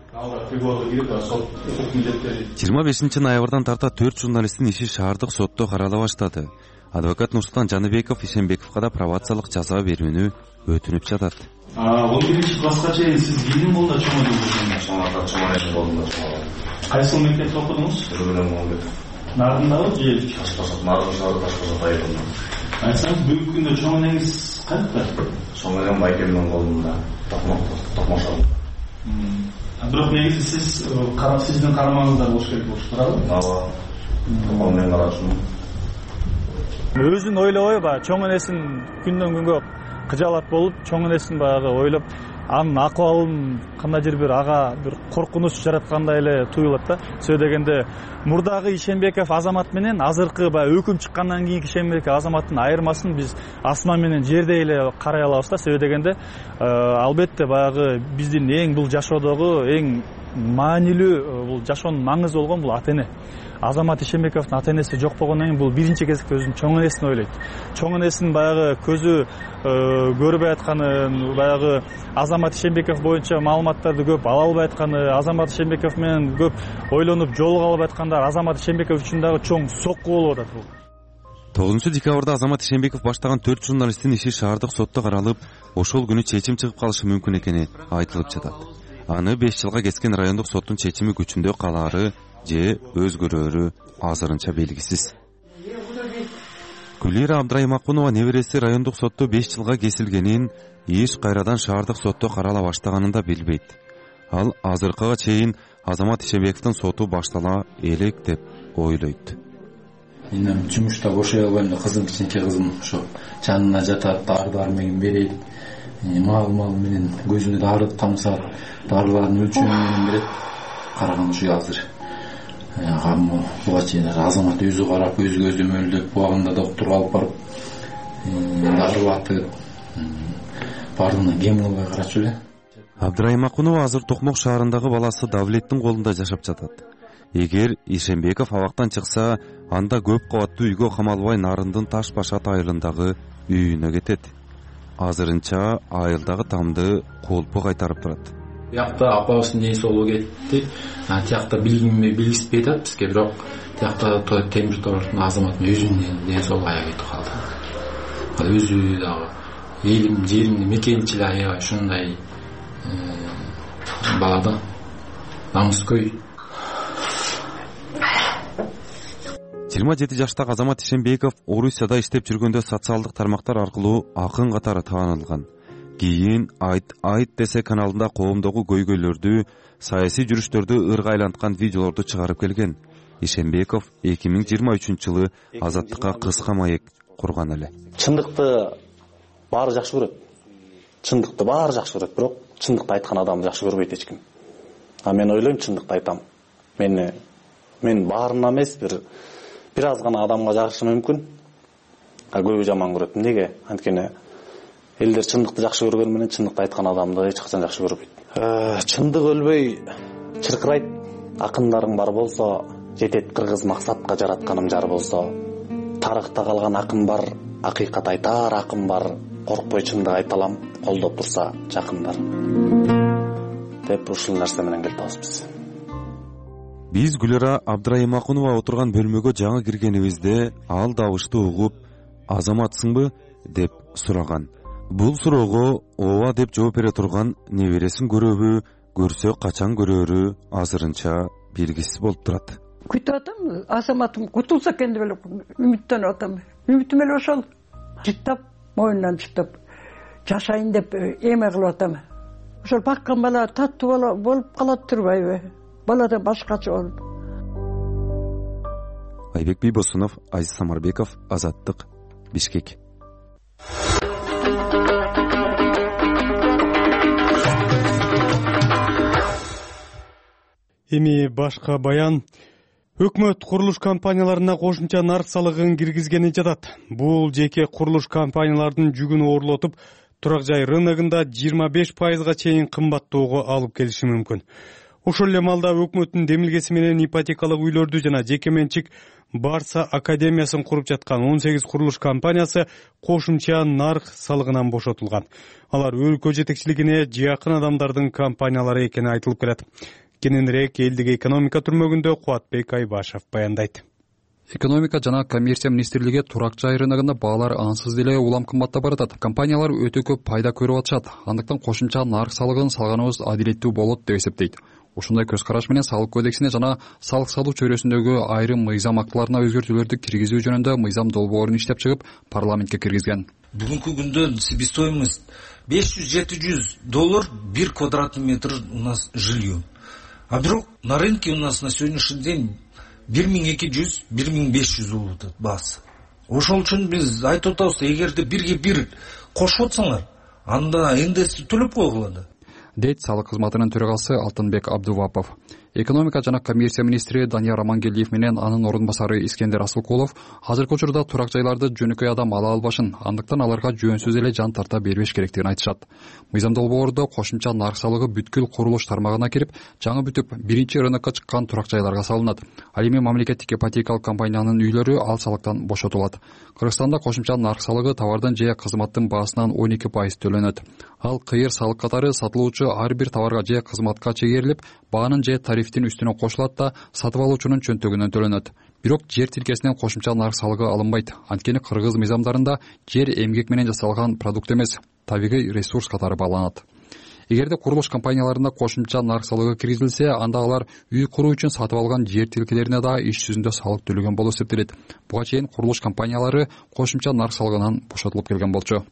жыйырма бешинчи ноябрдан тарта төрт журналисттин иши шаардык сотто карала баштады. Адвокат Нурсултан Жаныбеков Ишенбековго да пробациялык жаза берүүнү өтүнүп жатат. он биринчи класска чейин сиз кийин болду чоң болдуңуз? Чоң чоң болдум. Кайсы мектепте окудуңуз? Нарындабы же Ташкент? Нарын шаары Ташкент айылында. Айтсаңыз, бүгүнкү күндө чоң энеңиз кайерде? Чоң энем байкемдин колунда, Токмошо. Бирок негизи сиз сиздин карамаңызда болуш керек болуп турабы? Ооба. Токмомен карашым. Өзүн ойлобой баягы чоң энесин күндөн күнгө кыжаалат болуп, чоң энесин баягы ойлоп, анын акыбалын кандайдыр бир ага бир коркунуч жараткандай эле туюлат да. Сөз дегенде мурдагы Ишенбеков Азамат менен азыркы баягы өкүм чыккандан кийинки Ишенбеков Азаматтын айырмасын биз асман менен жердей эле карай алабыз да. Сөз дегенде албетте баягы биздин эң бул жашоодогу эң маанилүү бул жашоонун маңызы болгон бул ата эне. Азамат Ишенбековдун ата энеси жок болгондон кийин бул биринчи кезекте өзүнүн чоң энесин ойлойт. Чоң энесинин баягы көзү көрбөй атканын, баягы Азамат Ишенбеков боюнча маалыматтарды көп ала албай атканы, Азамат Ишенбеков менен көп ойлонуп жолуга албай аткандар Азамат Ишенбеков үчүн дагы чоң сокку болуп атат бул. тогузунчу декабрда Азамат Ишенбеков баштаган төрт журналисттин иши шаардык сотто каралып, ошол күнү чечим чыгып калышы мүмкүн экени айтылып жатат. Аны беш жылга кескен райондук соттун чечими күчүндө калаары же өзгөрөөрү азырынча белгисиз. Гүлира Абдраймакунова небереси райондук сотто беш жылга кесилгенин, иш кайрадан шаардык сотто карала баштаганын да билбейт. Ал азыркыга чейин Азамат Ишенбековдун соту баштала элек деп ойлойт. Мен жумушта бошой албайм да, кызым, кичинекей кызым ошо жанына жатат, дары дармегин берет, мал-мал менен көзүнө дары тамса, дарылардын өлчөмү менен берет. Караган ушу азыр агам буга чейин Азамат өзү карап, өзү көздөмөлдөп, убагында доктурга алып барып дарылатып, баардыгына кем болбой карачу эле. Абдраймакунова азыр Токмок шаарындагы баласы Давлеттин колунда жашап жатат. Эгер Ишенбеков абактан чыкса, анда көп кабаттуу үйгө камалбай Нарындын Таш Башат айылындагы үйүнө кетет. Азырынча айылдагы тамды колпу кайтарып турат. Биякта апабыздын ден соолугу кетти. Тиякта билгенме билгиспей атат бизге, бирок тиякта темир тордун Азаматтын өзүнүн ден соолугу аябай кетип калды. Өзү дагы элим, жеримди мекенчил аябай ушундай балада намыскөй. жыйырма жети жаштагы Азамат Ишенбеков Орусияда иштеп жүргөндө социалдык тармактар аркылуу акын катары таанылган. Кийин Айт Айт десе каналында коомдогу көйгөйлөрдү, саясий жүрүштөрдү ырга айланткан видеолорду чыгарып келген. Ишенбеков эки миң жыйырма үчүнчү жылы Азаттыкка кыска маек курган эле. Чындыкты баары жакшы көрөт. Чындыкты баары жакшы көрөт, бирок чындыкты айткан адамды жакшы көрбөйт эч ким. А мен ойлойм, чындыкты айтам. Мен мен баарына эмес, бир бир аз гана адамга жагышы мүмкүн. А көбү жаман көрөт. Эмнеге? Анткени элдер чындыкты жакшы көргөн менен чындыкты айткан адамды эч качан жакшы көрбөйт. Чындык өлбөй чыркырайт. Акындарың бар болсо, жетет кыргыз максатка жаратканым жар болсо. Тарыхта калган акын бар, акыйкат айтар акын бар. Коркпой чындык айта алам, колдоп турса жакындар. Деп ушул нерсе менен келип атабыз. Биз Гүлира Абдраймакунова отурган бөлмөгө жаңы киргенибизде ал дабышты угуп, Азаматсыңбы деп сураган. Бул суроого ооба деп жооп бере турган небересин көрөбү, көрсө качан көрөөрү азырынча белгисиз болуп турат. Күтүп атам, Азаматым кутулса экен деп эле үмүттөнүп атам. Үмүтүм эле ошол. Жыттап, моюндан жыттап жашайын деп эме кылып атам. Ошол баккан бала таттуу болуп калат турбайбы? Бала да башкача болуп. Айбек Бийбосунов, Азиз Самарбеков, Азаттык, Бишкек. Эми башка баян. Өкмөт курулуш компанияларына кошумча нарк салыгын киргизгени жатат. Бул жеке курулуш компаниялардын жүгүн оорлотуп, турак жай рыногунда жыйырма беш пайызга чейин кымбаттоого алып келиши мүмкүн. Ошол эле маалда өкмөттүн демилгеси менен ипотекалык үйлөрдү жана жеке менчик Барса академиясын куруп жаткан он сегиз курулуш компаниясы кошумча нарк салыгынан бошотулган. Алар өлкө жетекчилигине жакын адамдардын компаниялары экени айтылып келет. Кененирээк элдик экономика түрмөгүндө Кубатбек Айбашев баяндайт. Экономика жана коммерция министрлиги турак жай рыногунда баалар ансыз деле улам кымбаттап баратат. Компаниялар өтө көп пайда көрүп атышат. Андыктан кошумча нарк салыгын салганыбыз адилеттүү болот деп эсептейт. Ушундай көз караш менен салык кодексине жана салык салуу чөйрөсүндөгү айрым мыйзам актыларына өзгөртүүлөрдү киргизүү жөнүндө мыйзам долбоорун иштеп чыгып парламентке киргизген. Бүгүнкү күндө себестоимость беш жүз жети жүз доллар бир квадратный метр у нас жилье. А бирок на рынке у нас на сегодняшний день бир миң эки жүз бир миң беш жүз болуп атат баасы. Ошол үчүн биз айтып атабыз, эгерде бирге бир кошуп атсаңар, анда ндс төлөп койгула да. Дейт салык кызматынын төрагасы Алтынбек Абдувапов. Экономика жана коммерция министри Данияр Амангелдиев менен анын орун басары Искендер Асылкулов азыркы учурда турак жайларды жөнөкөй адам ала албашын, андыктан аларга жөнсүз эле жан тарта бербеш керектигин айтышат. Мыйзам долбоордо кошумча нарк салыгы бүткүл курулуш тармагына кирип, жаңы бүтүп биринчи рынокко чыккан турак жайларга салынат. Ал эми мамлекеттик ипотекалык компаниянын үйлөрү ал салыктан бошотулат. Кыргызстанда кошумча нарк салыгы товардын же кызматтын баасынан он эки пайыз төлөнөт. Ал кыйыр салык катары сатылуучу ар бир товарга же кызматка чегерилип, баанын же тарифтин үстүнө кошулат да сатып алуучунун чөнтөгүнөн төлөнөт. Бирок жер тилкесинен кошумча нарк салыгы алынбайт. Анткени кыргыз мыйзамдарында жер эмгек менен жасалган продукт эмес, табигый ресурс катары бааланат. Эгерде курулуш компанияларында кошумча нарк салыгы киргизилсе, анда алар үй куруу үчүн сатып алган жер тилкелерине да иш жүзүндө салык төлөгөн болуп эсептелет. Буга чейин курулуш компаниялары кошумча нарк салыгынан бошотулуп келген болчу.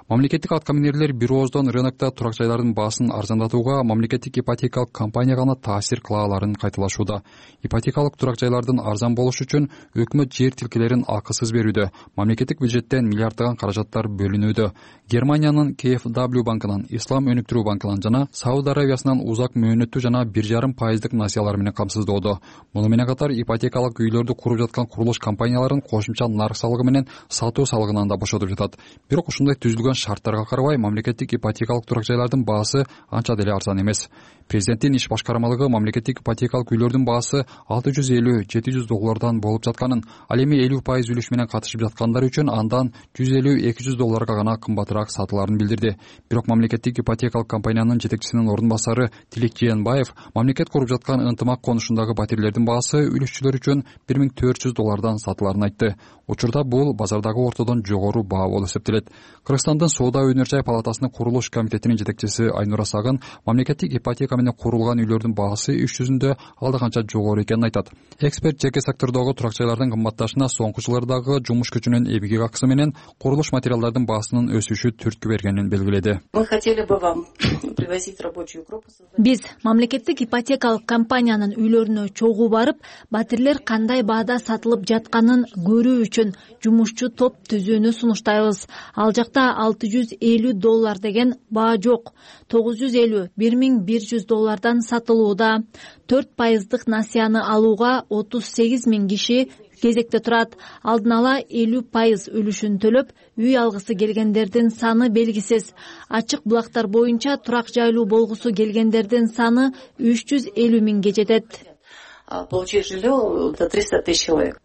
Мамлекеттик аткаминерлер бир ооздон рынокто турак жайлардын баасын арзандатууга мамлекеттик ипотекалык компания гана таасир кыла аларын кайталашууда. Ипотекалык турак жайлардын арзан болушу үчүн өкмөт жер тилкелерин акысыз берүүдө, мамлекеттик бюджеттен миллиарддаган каражаттар бөлүнүүдө. Германиянын К Ф W банкынан, Ислам өнүктүрүү банкынан жана Сауд Аравиясынан узак мөөнөттүү жана бир жарым пайыздык насыялар менен камсыздоодо. Муну менен катар ипотекалык үйлөрдү куруп жаткан курулуш компанияларын кошумча нарк салыгы менен сатуу салыгынан да бошотуп жатат. Бирок ушундай түзүлгөн шарттарга карабай мамлекеттик ипотекалык турак жайлардын баасы анча деле арзан эмес. Президенттин иш башкармалыгы мамлекеттик ипотекалык үйлөрдүн баасы алты жүз элүү жети жүз доллардан болуп жатканын, ал эми элүү пайыз үлүш менен катышып жаткандар үчүн андан жүз элүү эки жүз долларга гана кымбатыраак сатыларын билдирди. Бирок мамлекеттик ипотекалык компаниянын жетекчисинин орун басары Тилек Жээнбаев мамлекет куруп жаткан ынтымак конушундагы паатирлердин баасы үлүшчүлөр үчүн бир миң төрт жүз доллардан сатыларын айтты. Учурда бул базардагы ортодон жогору баа болуп эсептелет. Кыргызстандын Соода өнөр жай палатасынын курулуш комитетинин жетекчиси Айнура Сагын мамлекеттик ипотека менен курулган үйлөрдүн баасы иш жүзүндө алда канча жогору экенин айтат. Эксперт жеке сектордогу турак жайлардын кымбатташына соңку жылдардагы жумуш күчүнүн эмгек акысы менен курулуш материалдардын баасынын өсүшү түрткү бергенин белгиледи. Биз мамлекеттик ипотекалык компаниянын үйлөрүнө чогуу барып, батирлер кандай баада сатылып жатканын көрүү үчүн жумушчу топ түзүүнү сунуштайбыз. Ал жакта алты жүз элүү доллар деген баа жок. тогуз жүз элүү бир миң бир жүз доллардан сатылууда. төрт пайыздык насыяны алууга отуз сегиз миң киши кезекте турат. Алдын ала элүү пайыз үлүшүн төлөп, үй алгысы келгендердин саны белгисиз. Ачык булактар боюнча турак жайлуу болгусу келгендердин саны үч жүз элүү миңге жетет. Получить жилье до триста тысяч человек.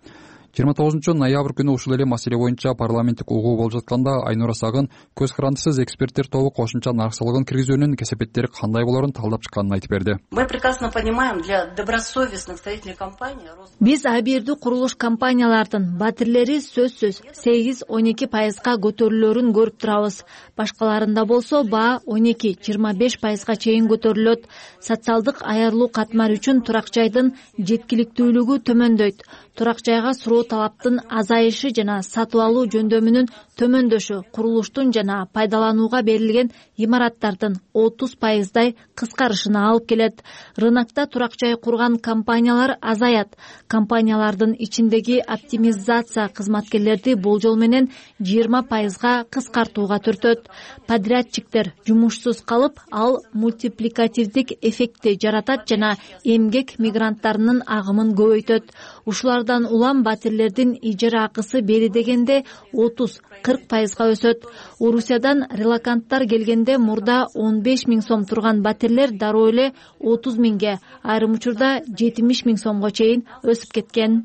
жыйырма тогузунчу ноябрь күнү ушул эле маселе боюнча парламенттик угуу болуп жатканда Айнура Сагын көз карандысыз эксперттер тобу кошумча нарк салыгын киргизүүнүн кесепеттери кандай болорун талдап чыкканын айтып берди. Мы прекрасно понимаем, для добросовестных строительных компаний биз абийирдүү курулуш компаниялардын батирлери сөзсүз сегиз он эки пайызга көтөрүлөрүн көрүп турабыз. Башкаларында болсо баа он эки жыйырма беш пайызга чейин көтөрүлөт. Социалдык аярлуу катмар үчүн турак жайдын жеткиликтүүлүгү төмөндөйт. Турак жайга суроо талаптын азайышы жана сатып алуу жөндөмүнүн төмөндөшү курулуштун жана пайдаланууга берилген имараттардын отуз пайыздай кыскарышына алып келет. Рынокто турак жай курган компаниялар азаят. Компаниялардын ичиндеги оптимизация кызматкерлерди болжол менен жыйырма пайызга кыскартууга түртөт. Подрядчиктер жумушсуз калып, ал мультипликативдик эффектти жаратат жана эмгек мигранттарынын агымын көбөйтөт. Ушулардан улам батирлердин ижара акысы бери дегенде отуз кырк пайызга өсөт. Орусиядан релоканттар келгенде мурда он беш миң сом турган батирлер дароо эле отуз миңге, айрым учурда жетимиш миң сомго чейин өсүп кеткен.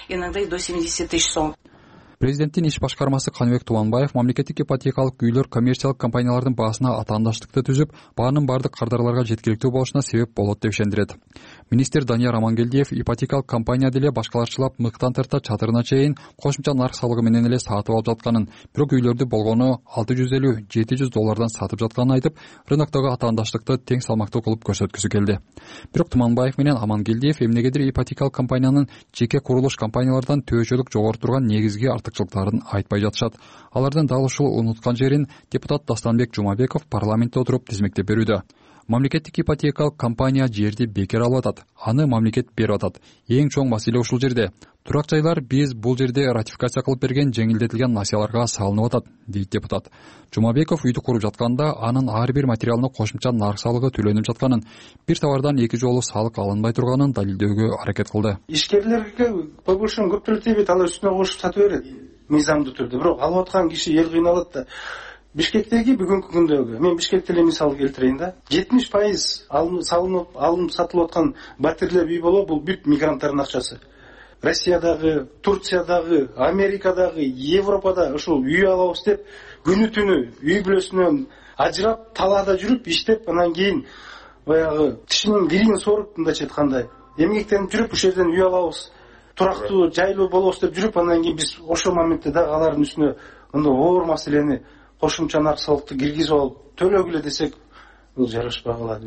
Иногда и до семидесяти тысяч сом. Президенттин иш башкармасы Каныбек Туманбаев мамлекеттик ипотекалык үйлөр коммерциялык компаниялардын баасына атаандаштыкты түзүп, баанын бардык кардарларга жеткиликтүү болушуна себеп болот деп ишендирет. Министр Данияр Амангелдиев ипотекалык компания деле башкаларчылап мыктан тарта чатырына чейин кошумча нарк салыгы менен эле сатып алып жатканын, бирок үйлөрдү болгону алты жүз элүү жети жүз доллардан сатып жатканын айтып, рыноктогу атаандаштыкты тең салмактуу кылып көрсөткүсү келди. Бирок Туманбаев менен Амангелдиев эмнегедир ипотекалык компаниянын жеке курулуш компаниялардан төбөчөлүк жогору турган негизги артыкчылыктарын айтпай жатышат. Алардын дал ушул унуткан жерин депутат Дастанбек Жумабеков парламентте отуруп тизмектеп берүүдө. Мамлекеттик ипотекалык компания жерди бекер алып атат, аны мамлекет берип атат. Эң чоң маселе ушул жерде. Турак жайлар биз бул жерде ратификация кылып берген жеңилдетилген насыяларга салынып атат, дейт депутат. Жумабеков үйдү куруп жатканда анын ар бир материалына кошумча нарк салыгы төлөнүп жатканын, бир товардан эки жолу салык алынбай турганын далилдөөгө аракет кылды. Ишкерлерге повышен көп төлөп тийбейт, алар үстүнө кошуп сатып берет мыйзамдуу түрдө. Бирок алып аткан киши эл кыйналат да. Бишкектеги бүгүнкү күндөгү, мен Бишкекте эле мисал келтирейин да. жетимиш пайыз алынып салынып, алынып сатылып аткан батирлер үй болобу, бул бүт мигранттардын акчасы. Россиядагы, Турциядагы, Америкадагы, Европада ушул үй алабыз деп күнү түнү үй бүлөсүнөн ажырап, талаада жүрүп, иштеп, анан кийин баягы тишинин бирин соруп, мындайча айтканда, эмгектенип жүрүп, ушул жерден үй алабыз, турактуу, жайлуу болобуз деп жүрүп, анан кийин биз ошол моментте дагы алардын үстүнө мындай оор маселени кошумча нарк салыкты киргизип алып төлөгүлө десек, бул жарашпай калат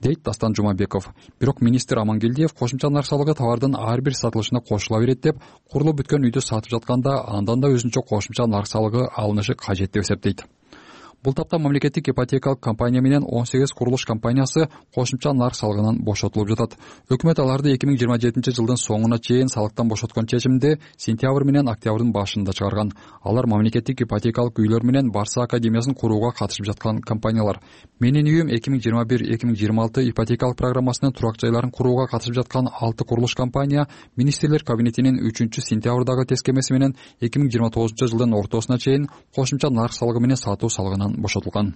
дейт Дастан Жумабеков. Бирок министр Амангелдиев кошумча нарк салыгы товардын ар бир сатылышына кошула берет деп, курулуп бүткөн үйдү сатып жатканда андан да өзүнчө кошумча нарк салыгы алынышы кажет деп эсептейт. Бул тапта мамлекеттик ипотекалык компания менен он сегиз курулуш компаниясы кошумча нарк салыгынан бошотулуп жатат. Өкмөт аларды эки миң жыйырма жетинчи жылдын соңуна чейин салыктан бошоткон чечимди сентябрь менен октябрдын башында чыгарган. Алар мамлекеттик ипотекалык үйлөр менен Барса академиясын курууга катышып жаткан компаниялар. Менин үйүм эки миң жыйырма бир эки миң жыйырма алты ипотекалык программасынын турак жайларын курууга катышып жаткан алты курулуш компания министрлер кабинетинин үчүнчү сентябрдагы тескемеси менен эки миң жыйырма тогузунчу жылдын ортосуна чейин кошумча нарк салыгы менен сатуу салыгынан бошотулган.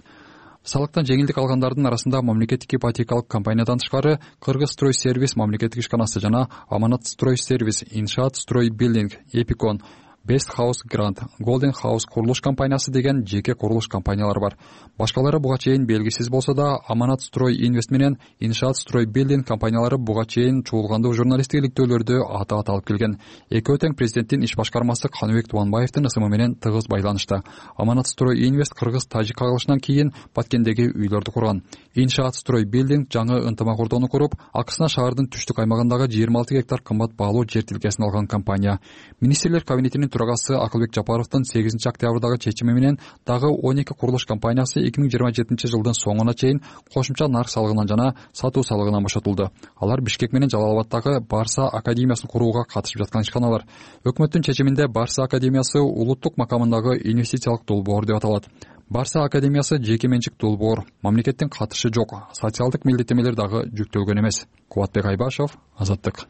Салыктан жеңилдик алгандардын арасында мамлекеттик ипотекалык компаниядан тышкары Кыргызстройсервис мамлекеттик ишканасы жана Аманатстройсервис, Иншаатстройбилдинг, Эпикон, Best House Grant, Golden House курулуш компаниясы деген жеке курулуш компаниялар бар. Башкалары буга чейин белгисиз болсо да, Аманатстрой Инвест менен Иншаатстройбилдинг компаниялары буга чейин чуулгандуу журналисттик иликтөөлөрдө аты аталып келген. Экөө тең президенттин иш башкармасы Каныбек Тубанбаевдин ысымы менен тыгыз байланышта. Аманатстрой Инвест кыргыз-тажик кагылышынан кийин Баткендеги үйлөрдү курган. Иншаатстройбилдинг жаңы ынтымак ордону куруп, акысына шаардын түштүк аймагындагы жыйырма алты гектар кымбат баалуу жер тилкесин алган компания. Министрлер кабинетинин төрагасы Акылбек Жапаровдун сегизинчи октябрдагы чечими менен дагы он эки курулуш компаниясы эки миң жыйырма жетинчи жылдын соңуна чейин кошумча нарк салыгынан жана сатуу салыгынан бошотулду. Алар Бишкек менен Жалал Абаддагы Барса академиясын курууга катышып жаткан ишканалар. Өкмөттүн чечиминде Барса академиясы улуттук макамындагы инвестициялык долбоор деп аталат. Барса академиясы жеке менчик долбоор, мамлекеттин катышы жок, социалдык милдеттемелер дагы жүктөлгөн эмес. Кубатбек Айбашев, Азаттык.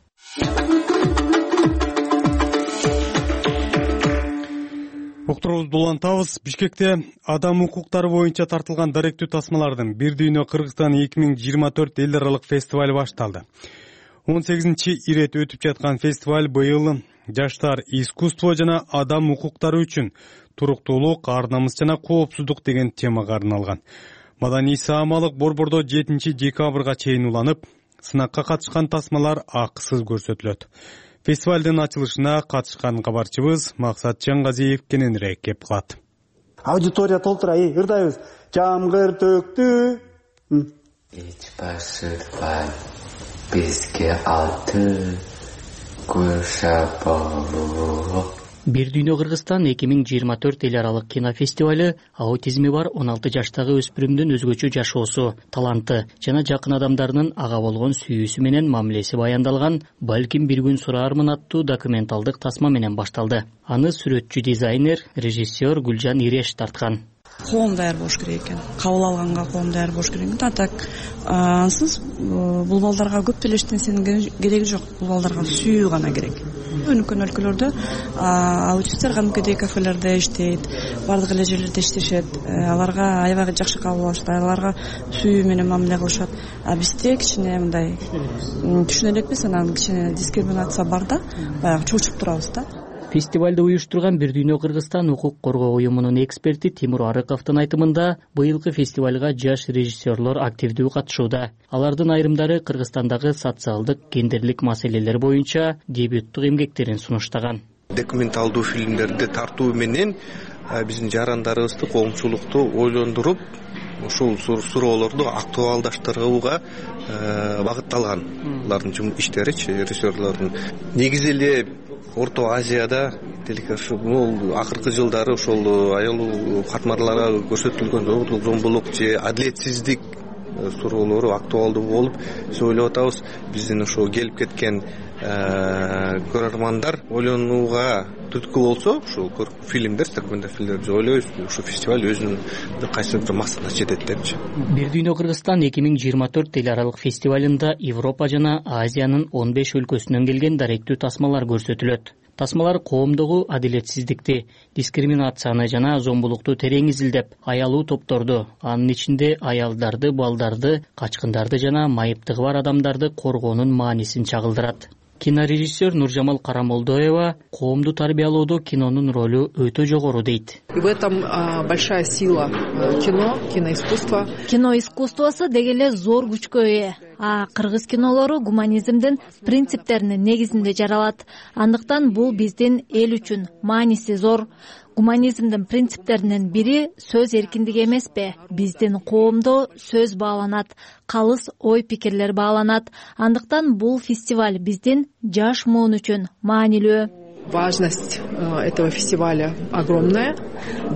Уктуруубузду улантабыз. Бишкекте адам укуктары боюнча тартылган даректүү тасмалардын бир дүйнө Кыргызстан эки миң жыйырма төрт эл аралык фестиваль башталды. он сегизинчи ирет өтүп жаткан фестиваль быйыл жаштар, искусство жана адам укуктары үчүн туруктуулук, ар намыс жана коопсуздук деген темага арналган. Маданий саамалык борбордо жетинчи декабрга чейин уланып, сынакка катышкан тасмалар акысыз көрсөтүлөт. Фестивалдын ачылышына катышкан кабарчыбыз Максат Чаңгазиев кененирээк кеп калат. Аудитория толтура, эй, ырдайбыз. Жамгыр төктү. Эч башырбай бизге алты кушапалуу. Бир дүйнө Кыргызстан эки миң жыйырма төрт эл аралык кинофестиваль аутизми бар он алты жаштагы өспүрүмдүн өзгөчө жашоосу, таланты жана жакын адамдарынын ага болгон сүйүүсү менен мамилеси баяндалган «Балким бир күн сураармын» аттуу документалдык тасма менен башталды. Аны сүрөтчү дизайнер, режиссер Гүлжан Иреш тарткан. Коом даяр болуш керек экен. Кабыл алганга коом даяр болуш керек экен. Так ансыз бул балдарга көп деле эчтенсенин кереги жок. Бул балдарга сүйүү гана керек. Өнүккөн өлкөлөрдө аутисттер кадимкидей кафелерде иштейт, бардык эле жерлерде иштешет. Аларга аябай жакшы кабыл алышат, аларга сүйүү менен мамиле кылышат. А бизде кичине мындай түшүнө элекпиз, анан кичине дискриминация бар да, баягы чуучуп турабыз да. Фестивалды уюштурган Бир дүйнө Кыргызстан укук коргоо уюмунун эксперти Тимур Арыковдун айтымында, быйылкы фестивалга жаш режиссерлор активдүү катышууда. Алардын айрымдары Кыргызстандагы социалдык, гендерлик маселелер боюнча дебюттук эмгектерин сунуштаган. Документалдуу фильмдерди тартуу менен биздин жарандарыбызды, коомчулукту ойлондуруп, ушул суроолорду актуалдаштырууга багытталган. Алардын иштеричи, режиссерлордун негизи эле Орто Азияда бул акыркы жылдары ошол аял катмарларга көрсөтүлгөн зомбулук же адилетсиздик суроолору актуалдуу болуп биз ойлоп атабыз. Биздин ошо келип кеткен көрөрмандар ойлонууга түрткү болсо, ушул фильмдер, документалдык фильмдер биз ойлойбуз, ушул фестиваль өзүнүн кайсыдыр бир максатына жетет депчи. Бир дүйнө Кыргызстан эки миң жыйырма төрт эл аралык фестивалында Европа жана Азиянын он беш өлкөсүнөн келген даректүү тасмалар көрсөтүлөт. Тасмалар коомдогу адилетсиздикти, дискриминацияны жана зомбулукту терең изилдеп, аялуу топторду, анын ичинде аялдарды, балдарды, качкындарды жана майыптыгы бар адамдарды коргоонун маанисин чагылдырат. Кинорежиссер Нуржамал Карамолдоева коомду тарбиялоодо кинонун ролу өтө жогору дейт. И в этом большая сила кино, киноискусства. Кино искусствосу деги эле зор күчкө ээ. А кыргыз кинолору гуманизмдин принциптеринин негизинде жаралат. Андыктан бул биздин эл үчүн мааниси зор. Гуманизмдин принциптеринин бири сөз эркиндиги эмеспи? Биздин коомдо сөз бааланат, калыс ой пикирлер бааланат. Андыктан бул фестиваль биздин жаш муун үчүн маанилүү. Важность этого фестиваля огромная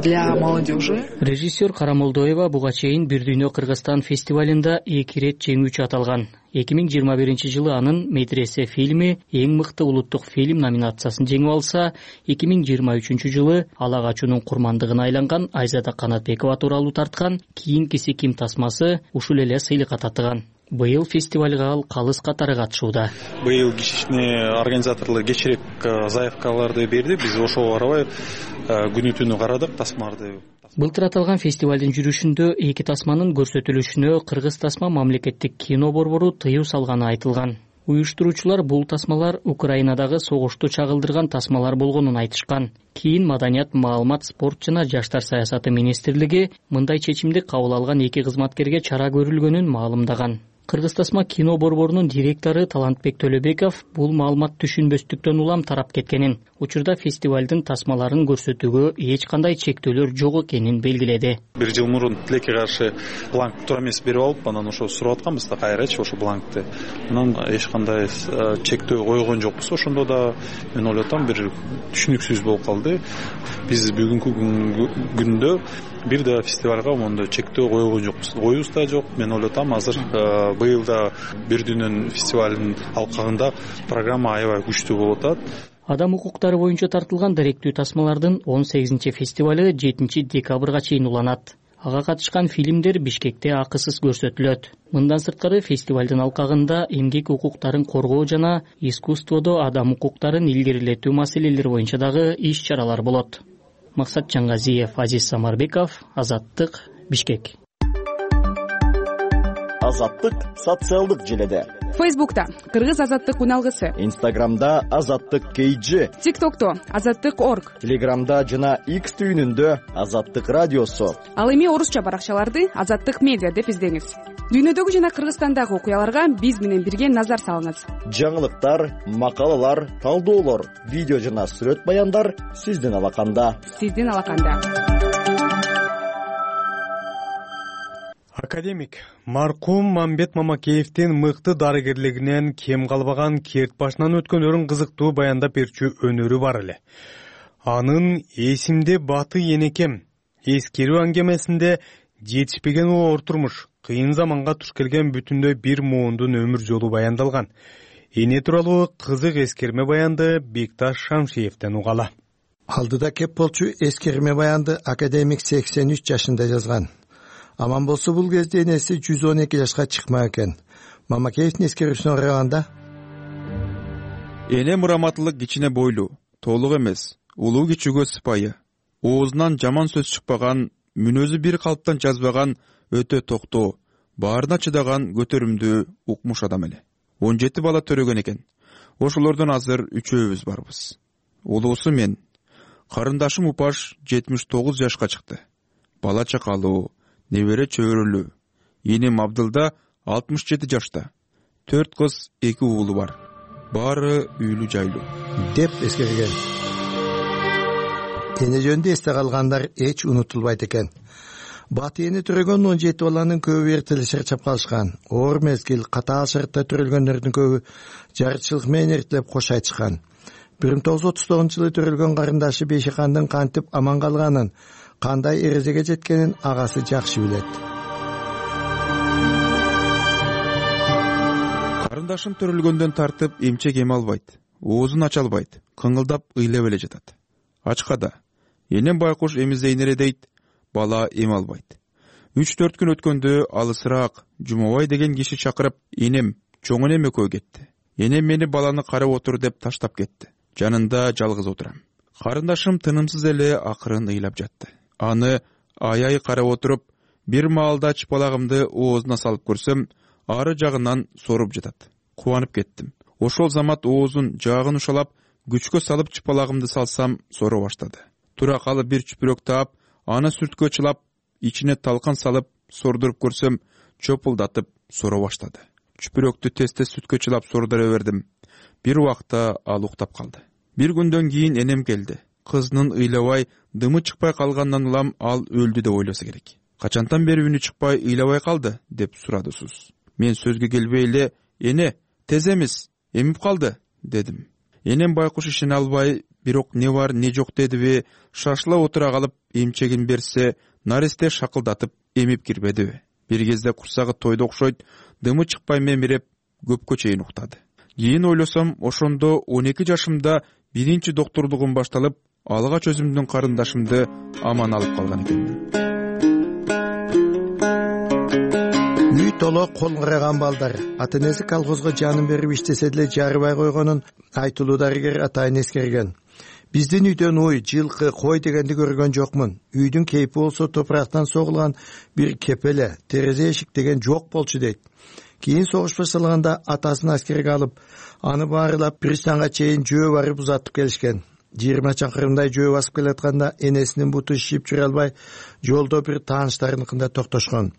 для молодежи. Режиссер Карамолдоева буга чейин Бир дүйнө Кыргызстан фестивалында эки ирет жеңүүчү аталган. эки миң жыйырма биринчи жылы анын Медресе фильми эң мыкты улуттук фильм номинациясын жеңип алса, эки миң жыйырма үчүнчү жылы Ала качуунун курмандыгына айланган Айзада Канатбекова тууралуу тарткан Кийинкиси ким тасмасы ушул эле сыйлыкка татыган. Быйыл фестивалга ал калыс катары катышууда. Быйыл кичине организаторлор кечирээк заявкаларды берди. Биз ошого карабай күнү түнү карадык тасмаларды. Былтыр аталган фестивалдын жүрүшүндө эки тасманын көрсөтүлүшүнө Кыргыз тасма мамлекеттик кино борбору тыюу салганы айтылган. Уюштуруучулар бул тасмалар Украинадагы согушту чагылдырган тасмалар болгонун айтышкан. Кийин Маданият, маалымат, спорт жана жаштар саясаты министрлиги мындай чечимди кабыл алган эки кызматкерге чара көрүлгөнүн маалымдаган. Кыргыз тасма кино борборунун директору Талантбек Төлөбеков бул маалымат түшүнбөстүктөн улам тарап кеткенин, учурда фестивалдын тасмаларын көрсөтүүгө эч кандай чектөөлөр жок экенин белгиледи. Бир жыл мурун тилекке каршы бланк туура эмес берип алып, анан ошо сурап атканбыз да кайрачы ошо бланкты. Анан эч кандай чектөө койгон жокпуз. Ошондо да мен ойлоп атам бир түшүнүксүз болуп калды. Биз бүгүнкү күндө бир да фестивалга мондой чектөө койгон жокпуз. Коюбуз да жок. Мен ойлоп атам азыр быйыл да Бир дүйнөнүн фестивалынын алкагында программа аябай күчтүү болуп атат. Адам укуктары боюнча тартылган даректүү тасмалардын он сегизинчи фестивалы жетинчи декабрга чейин уланат. Ага катышкан фильмдер Бишкекте акысыз көрсөтүлөт. Мындан сырткары фестивалдын алкагында эмгек укуктарын коргоо жана искусстводо адам укуктарын илгерилетүү маселелери боюнча дагы иш-чаралар болот. Максат Чаңгазиев, Азиз Самарбеков, Азаттык, Бишкек. Азаттык социалдык желеде. Фейсбукта Кыргыз азаттык уналгысы. Инстаграмда Азаттык кейджи. ТикТокто Азаттык орг. Телеграмда жана X түйүнүндө Азаттык радиосу. Ал эми орусча баракчаларды Азаттык медиа деп издеңиз. Дүйнөдөгү жана Кыргызстандагы окуяларга биз менен бирге назар салыңыз. Жаңылыктар, макалалар, талдоолор, видео жана сүрөт баяндар сиздин алаканда. Сиздин алаканда. Академик маркум Мамбет Мамакеевдин мыкты дарыгерлигинен кем калбаган керт башынан өткөнөрүн кызыктуу баяндап берчү өнөрү бар эле. Анын эсимде баты энекем эскерүү аңгемесинде жетишпеген оор турмуш, кыйын заманга туш келген бүтүндөй бир муундун өмүр жолу баяндалган. Эне тууралуу кызык эскерме баянды Бекташ Шамшиевден угала. Алдыда кеп болчу эскерме баянды академик сексен үч жашында жазган. Аман болсо бул кезде энеси жүз он эки жашка чыкма экен. Мамакеевдин эскерүүсүнө караганда эне мураматтуулук кичине бойлуу, толук эмес, улуу кичүүгө сыпайы, оозунан жаман сөз чыкпаган, мүнөзү бир калыптан жазбаган, өтө токтоо, баарына чыдаган көтөрүмдүү укмуш адам эле. он жети бала төрөгөн экен. Ошолордон азыр үчөөбүз барбыз. Улуусу мен. Карындашым Упаш жетимиш тогуз жашка чыкты. Бала чакалуу, небере чөбөрөлүү. Энем Абдылда алтымыш жети жашта. төрт кыз, эки уулу бар. Баары үйлүү жайлуу деп эскерген. Эне жөнүндө эсте калгандар эч унутулбайт экен. Баты эне төрөгөн он жети баланын көбү эртеле чарчап калышкан. Оор мезгил, катаал шартта төрөлгөндөрдүн көбү жарычылык менен эртелеп кош айтышкан. бир миң тогуз жүз отуз тогузунчу жылы төрөлгөн карындашы Бейшикандын кантип аман калганын, кандай эрежеге жеткенин агасы жакшы билет. карындашым төрөлгөндөн тартып эмчек эме албайт, оозун ача албайт, кыңылдап ыйлап эле жатат. Ачкада энем байкуш эмизейин эле дейт, бала эме албайт. үч төрт күн өткөндө алысыраак Жумабай деген киши чакырып, энем чоң энем экөө кетти. Энем мени баланы карап отур деп таштап кетти. Жанында жалгыз отурам. Карындашым тынымсыз эле акырын ыйлап жатты. Аны аябай карап отуруп, бир маалда чыпалагымды оозуна салып көрсөм, ары жагынан соруп жатат. Кубанып кеттим. Ошол замат оозун жаагын ушалап, күчкө салып чыпалагымды салсам, сору баштады. Тура калып бир чүпүрөк таап, аны сүрткө чылап, ичине талкан салып, сордуруп көрсөм, чопулдатып сора баштады. Чүпүрөктү тез-тез сүткө чылап сордура бердим. Бир убакта ал уктап калды. Бир күндөн кийин энем келди. Кызынын ыйлабай, дымы чыкпай калгандан улам ал өлдү деп ойлосо керек. Качантан бери үнү чыкпай, ыйлабай калды деп сурады Суз. Мен сөзгө келбей эле, "Эне, тез эмес, эмип калды" дедим. Энем байкуш ишене албай, бирок не бар, не жок дедиби, шашыла отура калып, эмчегин берсе, наристе шакылдатып эмип кирбедиби. Бир кезде курсагы тойду окшойт, дымы чыкпай мемиреп, көпкө чейин уктады. Кийин ойлосом, ошондо он эки жашымда биринчи доктурлугум башталып, алгач өзүмдүн карындашымды аман алып калган экенмин. Үй толо кол караган балдар. Ата-энеси колхозго жанын берип иштесе деле жарыбай койгонун айтылуу дарыгер атайын эскерген. Биздин үйдөн ой, жылкы, кой дегенди көргөн жокмун. Үйдүн кейпи болсо топурактан согулган бир кепеле, терезе эшик деген жок болчу дейт. Кийин согуш башталганда атасын аскерге алып, аны баарылап пристанга чейин жөө барып узатып келишкен. жыйырма чакырымдай жөө басып келатканда энесинин буту шишип жүрө албай, жолдо бир тааныштарыныкында токтошкон.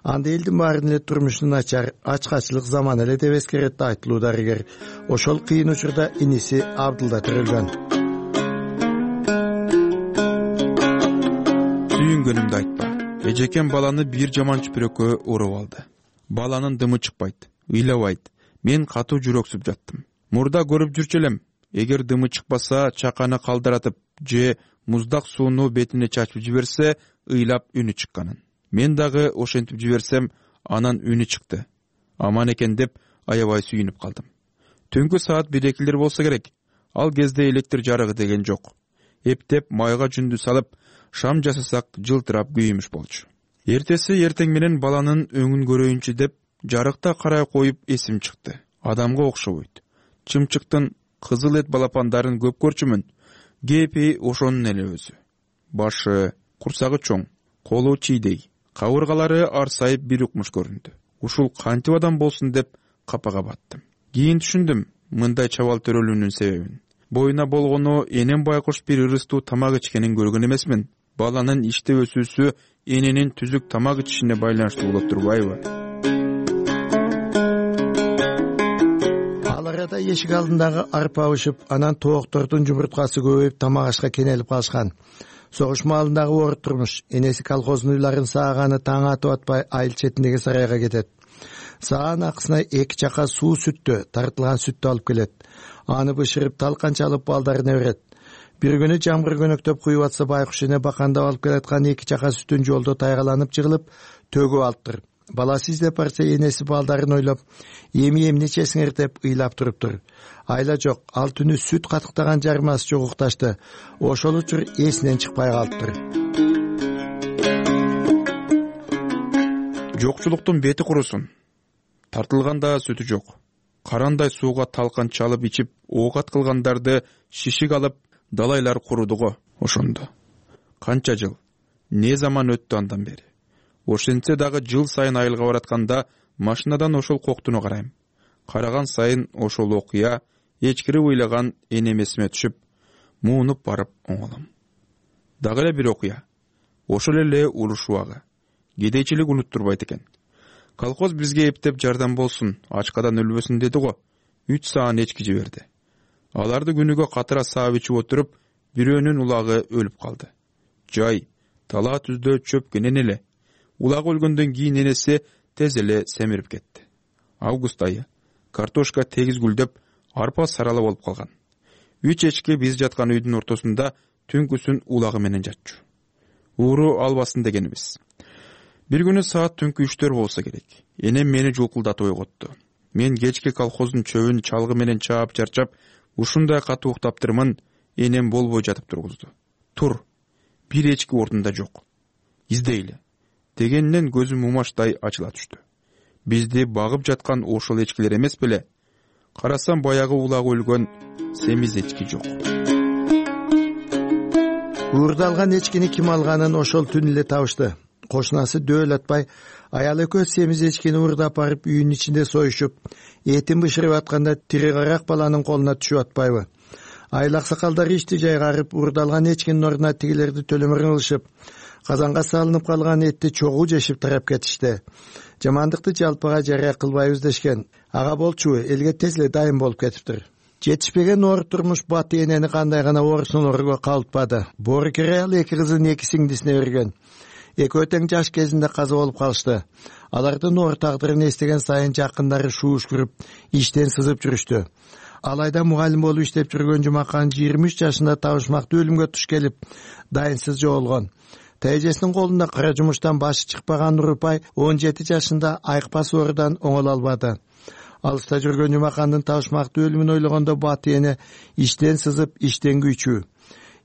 Анда элдин баарын эле турмушу начар, ачкачылык заман эле деп эскеретти айтылуу дарыгер. Ошол кыйын учурда иниси Абдылда төрөлгөн. Сүйүнгөнүмдү айтпа. Эжекем баланы бир жаман чүпүрөккө уруп алды. Баланын дымы чыкпайт, ыйлабайт. Мен катуу жүрөксүп жаттым. Мурда көрүп жүрчү элем. Эгер дымы чыкпаса, чаканы калдыратып же муздак сууну бетине чачып жиберсе, ыйлап үнү чыкканын. Мен дагы ошентип жиберсем, анан үнү чыкты. Аман экен деп аябай сүйүнүп калдым. Түнкү саат бир экилер болсо керек. Ал кезде электр жарыгы деген жок. Эптеп майга жүндү салып, шам жасасак жылтырап күйүмүш болчу. Эртеси эртең менен баланын өңүн көрөйүнчү деп жарыкта карай коюп эсим чыкты. Адамга окшобойт. Чымчыктын кызыл эт балапандарын көп көрчүмүн. Кепи ошонун эле өзү. Башы, курсагы чоң, колу чийдей, кабыргалары арсайып бир укмуш көрүндү. Ушул кантип адам болсун деп капага баттым. Кийин түшүндүм мындай чабал төрөлүүнүн себебин. Боюна болгону энем байкуш бир ырыстуу тамак ичкенин көргөн эмесмин. Баланын иштеп өсүүсү эненин түзүк тамак ичишине байланыштуу болот турбайбы? Ал арада эшик алдындагы арпа ушуп, анан тооктордун жумурткасы көбөйүп тамак ашка кенелип калышкан. Согуш маалындагы оор турмуш. Энеси колхоздун уйларын сааганы таң атып атпай айыл четиндеги сарайга кетет. Саан акысына эки чака суу сүттө, тартылган сүттү алып келет. Аны бышырып талкан чалып балдарына берет. Бир күнү жамгыр көнөктөп куюп атса, байкуш эне бакандап алып келаткан эки чака сүтүн жолдо тайгаланып жыгылып, төгүп алыптыр. Баласы издеп барса, энеси балдарын ойлоп, эми эмне ичесиңер деп ыйлап туруптур. Айла жок, ал түнү сүт катыктаган жармасы жок укташты. Ошол учур эсинен чыкпай калыптыр. Жокчулуктун бети курусун. Тартылганда сүтү жок. Карандай сууга талкан чалып ичип, оокат кылгандарды шишик алып, далайлар курудуго ошондо. Канча жыл, не заман өттү андан бери. Ошентсе дагы жыл сайын айылга баратканда машинадан ошол коктуну карайм. Караган сайын ошол окуя, эчкирип ыйлаган энем эсиме түшүп, муунуп барып оңолом. Дагы эле бир окуя. Ошол эле уруш убагы. Кедейчилик унуттурбайт экен. Колхоз бизге эптеп жардам болсун, ачкадан өлбөсүн деди го. үч саан эчки жиберди. Аларды күнүгө катыра саап ичип отуруп, бирөөнүн улагы өлүп калды. Жай, талаа түздө чөп кенен эле. Улагы өлгөндөн кийин энеси тез эле семирип кетти. Август айы. Картошка тегиз гүлдөп, арпа сарала болуп калган. Үч эчки биз жаткан үйдүн ортосунда түнкүсүн улагы менен жатчу. Ууру албасын дегенибиз. Бир күнү саат түнкү үчтөр болсо керек. Энем мени жулкулдатып ойготту. Мен кечки колхоздун чөбүн чалгы менен чаап чарчап ушундай катуу уктаптырмын. Энем болбой жатып тургузду. Тур, бир эчки ордунда жок. Издейле дегенден көзүм умаштай ачыла түштү. Бизди багып жаткан ошол эчкилер эмес беле? Карасам баягы улак өлгөн семиз эчки жок. Уурдалган эчкини ким алганын ошол түн эле табышты. Кошунасы Дөөлөтбай аялы экөө семиз эчкини уурдап барып үйүнүн ичинде союшуп, этин бышырып атканда тири карак баланын колуна түшүп атпайбы? Айлак сакалдар ишти жайгарып, уурдалган эчкинин ордуна тигилерди төлөмөр кылышып, казанга салынып калган этти чогуу жешип тарап кетишти. Жамандыкты жалпыга жарыя кылбайбыз дешкен. Ага болчу, элге тез эле дайым болуп кетиптир. Жетишпеген оор турмуш бат энени кандай гана оорусунорго калтпады. Боорукер аял эки кызын эки сиңдисине берген. Экөө тең жаш кезинде каза болуп калышты. Алардын оор тагдырын эстеген сайын жакындары шууш кирип, иштен сызып жүрүштү. Алайда мугалим болуп иштеп жүргөн Жумакан жыйырма үч жашында табышмактуу өлүмгө туш келип, дайынсыз жоолгон. Тайжесинин колунда кара жумуштан башы чыкпаган Нурупай он жети жашында айыкпас оорудан оңоло албады. Алыста жүргөн Жумакандын табышмактуу өлүмүн ойлогондо баты эне иштен сызып, иштен күйчү.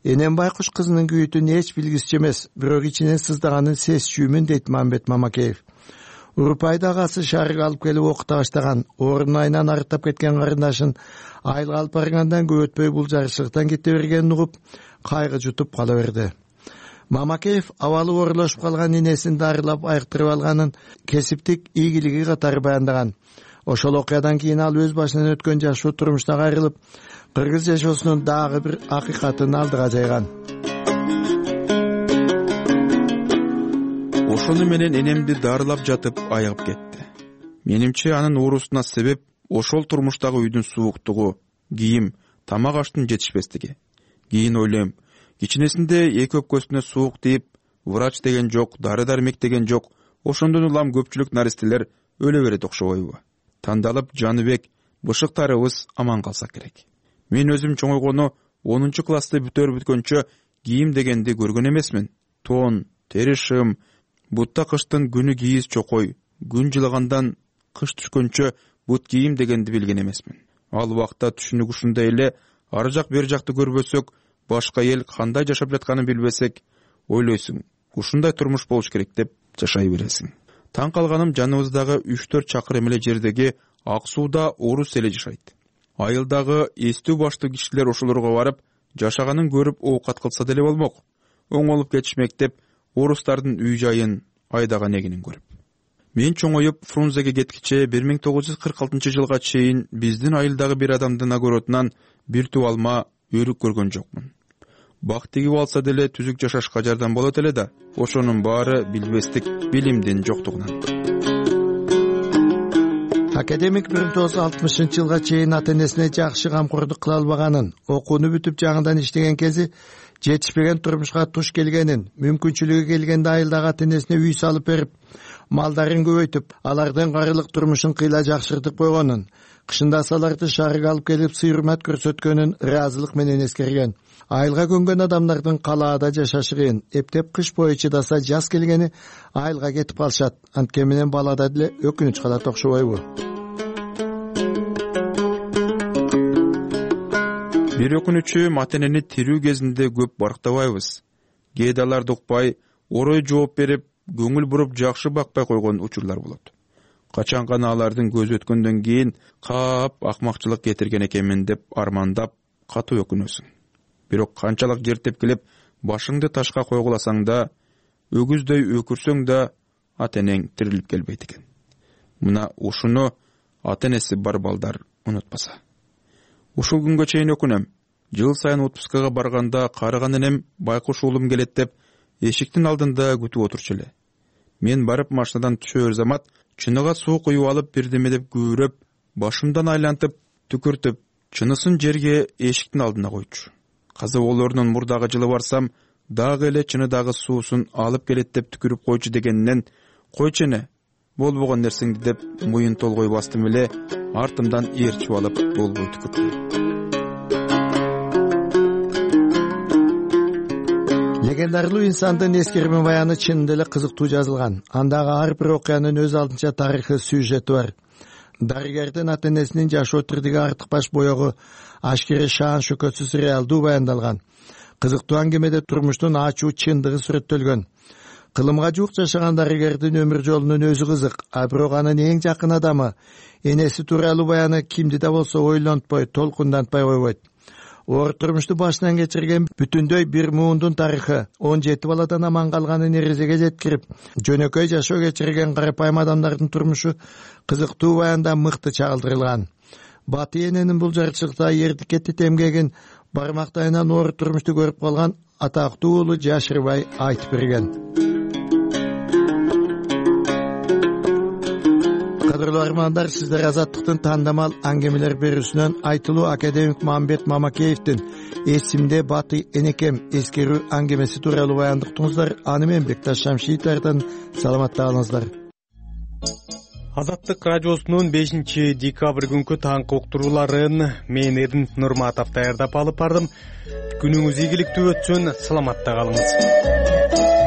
Энем байкуш кызынын күйүтүн эч билгисчи эмес, бирок ичинен сыздаганын сезчүүмүн дейт Мамбет Мамакеев. Урупайды агасы шаарга алып келип окута баштаган, ордун айынан арыттап кеткен карындашын айылга алып баргандан көп өтпөй бул жарышыктан кете бергенин угуп, кайгы жутуп кала берди. Мамакеев абалы оорулашып калган энесин дарылап айыктырып алганын кесиптик ийгилиги катары баяндаган. Ошол окуядан кийин ал өз башынан өткөн жашоо турмуштан кайрылып, кыргыз жашоосунун дагы бир акыйкатын алдыга жайган. Ошону менен энемди дарылап жатып айыгып кетти. Менимче анын оорусуна себеп ошол турмуштагы үйдүн сууктугу, кийим, тамак аштын жетишпестиги. Кийин ойлойм, кичинесинде эки өпкөсүнө суук тийип, врач деген жок, дары-дармек деген жок. Ошондон улам көпчүлүк наристелер өлө берет окшобойбу? Тандалып Жаныбек, бышыктарыбыз аман калса керек. Мен өзүм чоңойгону онунчу классты бүтөр бүткөнчө кийим дегенди көргөн эмесмин. Тон, тери шым, бутта кыштын күнү кийиз чокой, күн жылагандан кыш түшкөнчө бут кийим дегенди билген эмесмин. Ал убакта түшүнүк ушундай эле, ар жак бер жакты көрбөсөк, башка эл кандай жашап жатканын билбесек, ойлойсуң, ушундай турмуш болуш керек деп жашай бересиң. Таң калганым жаныбыздагы үч төрт чакырым эле жердеги Ак сууда орус эле жашайт. Айылдагы эстүү баштуу кишилер ошолорго барып, жашаганын көрүп оокат кылса деле болмок. Оңолуп кетишмек деп орустардын үй жайын, айдаган эгинин көрүп. Мен чоңоюп Фрунзеге кеткиче бир миң тогуз жүз кырк алтынчы жылга чейин биздин айылдагы бир адамдын огородунан бир туп алма, өрүк көргөн жокмун. Бак тигип алса деле түзүк жашашка жардам болот эле да, ошонун баары билбестик, билимдин жоктугунан. Академик бир миң тогуз жүз алтымышынчы жылга чейин ата-энесине жакшы камкордук кыла албаганын, окууну бүтүп жаңыдан иштеген кези жетишпеген турмушка туш келгенин, мүмкүнчүлүгү келгенде айылдагы ата-энесине үй салып берип, малдарын көбөйтүп, алардын карылык турмушун кыйла жакшыртып койгонун, кышында аларды шаарга алып келип сый-урмат көрсөткөнүн ыраазылык менен эскерген. Айылга көнгөн адамдардын калаада жашашы кыйын, эптеп кыш бою чыдаса жаз келгени айылга кетип калышат. Анткени менен балада деле өкүнүч калат окшобойбу? Бир өкүнүчү ата-энени тирүү кезинде көп барктабайбыз. Кээде аларды укпай, орой жооп берип, көңүл буруп жакшы бакпай койгон учурлар болот. Качан гана алардын көзү өткөндөн кийин каап акмакчылык кетирген экенмин деп армандап, катуу өкүнөсүң. Бирок канчалык жер тепкилеп, башыңды ташка койгуласаң да, өгүздөй өкүрсөң да, ата-энең тирилип келбейт экен. Мына ушуну ата-энеси бар балдар унутпаса. Ушул күнгө чейин өкүнөм. Жыл сайын отпускага барганда карыган энем байкуш уулум келет деп эшиктин алдында күтүп отурчу эле. Мен барып машинадан түшөр замат чыныга суу куюп алып бирдеме деп күбүрөп, башымдан айлантып, түкүртүп, чынысын жерге эшиктин алдына койчу. Каза болорунун мурдагы жылы барсам, дагы эле чыныдагы суусун алып келет деп түкүрүп койчу дегенинен, койчу эне, болбогон нерсеңди деп муйун толгой бастым эле, артымдан ээрчип алып болбой түкүрдүм. Легендарлуу инсандын эскерме баяны чынында эле кызыктуу жазылган. Андагы ар бир окуянын өз алдынча тарыхы, сюжети бар. дарыгердин ата энесинин жашоо тирдиги артыкбаш боёгу ашкере шаан шөкөтсүз реалдуу баяндалган. Кызыктуу аңгемеде турмуштун ачуу чындыгы сүрөттөлгөн. Кылымга жуук жашаган дарыгердин өмүр жолунун өзү кызык, а бирок анын эң жакын адамы энеси тууралуу баяны кимди да болсо ойлонтпой, толкундантпай койбойт. Оор турмушту башынан кечирген бүтүндөй бир муундун тарыхы он жети баладан аман калганын эрежеге жеткирип, жөнөкөй жашоо кечирген карапайым адамдардын турмушу кызыктуу баянда мыкты чагылдырылган. Батый эненин бул жарчылыкта эрдикетти эмгегин бармактайынан оор турмушту көрүп калган атактуу уулу жашырбай айтып берген. Кадырлуу армандар, сиздер Азаттыктын тандамал аңгемелер берүүсүнөн айтылуу академик Мамбет Мамакеевдин эсимде Батый энекем эскерүү аңгемеси тууралуу баяндыктыңыздар. Аны мен Бекташ Шамшиевдин саламатта калыңыздар. Азаттык радиосунун бешинчи декабрь күнкү таңкы уктурууларын мен Эрдин Нурматов даярдап алып бардым. Күнүңүз ийгиликтүү өтсүн, саламатта калыңыз.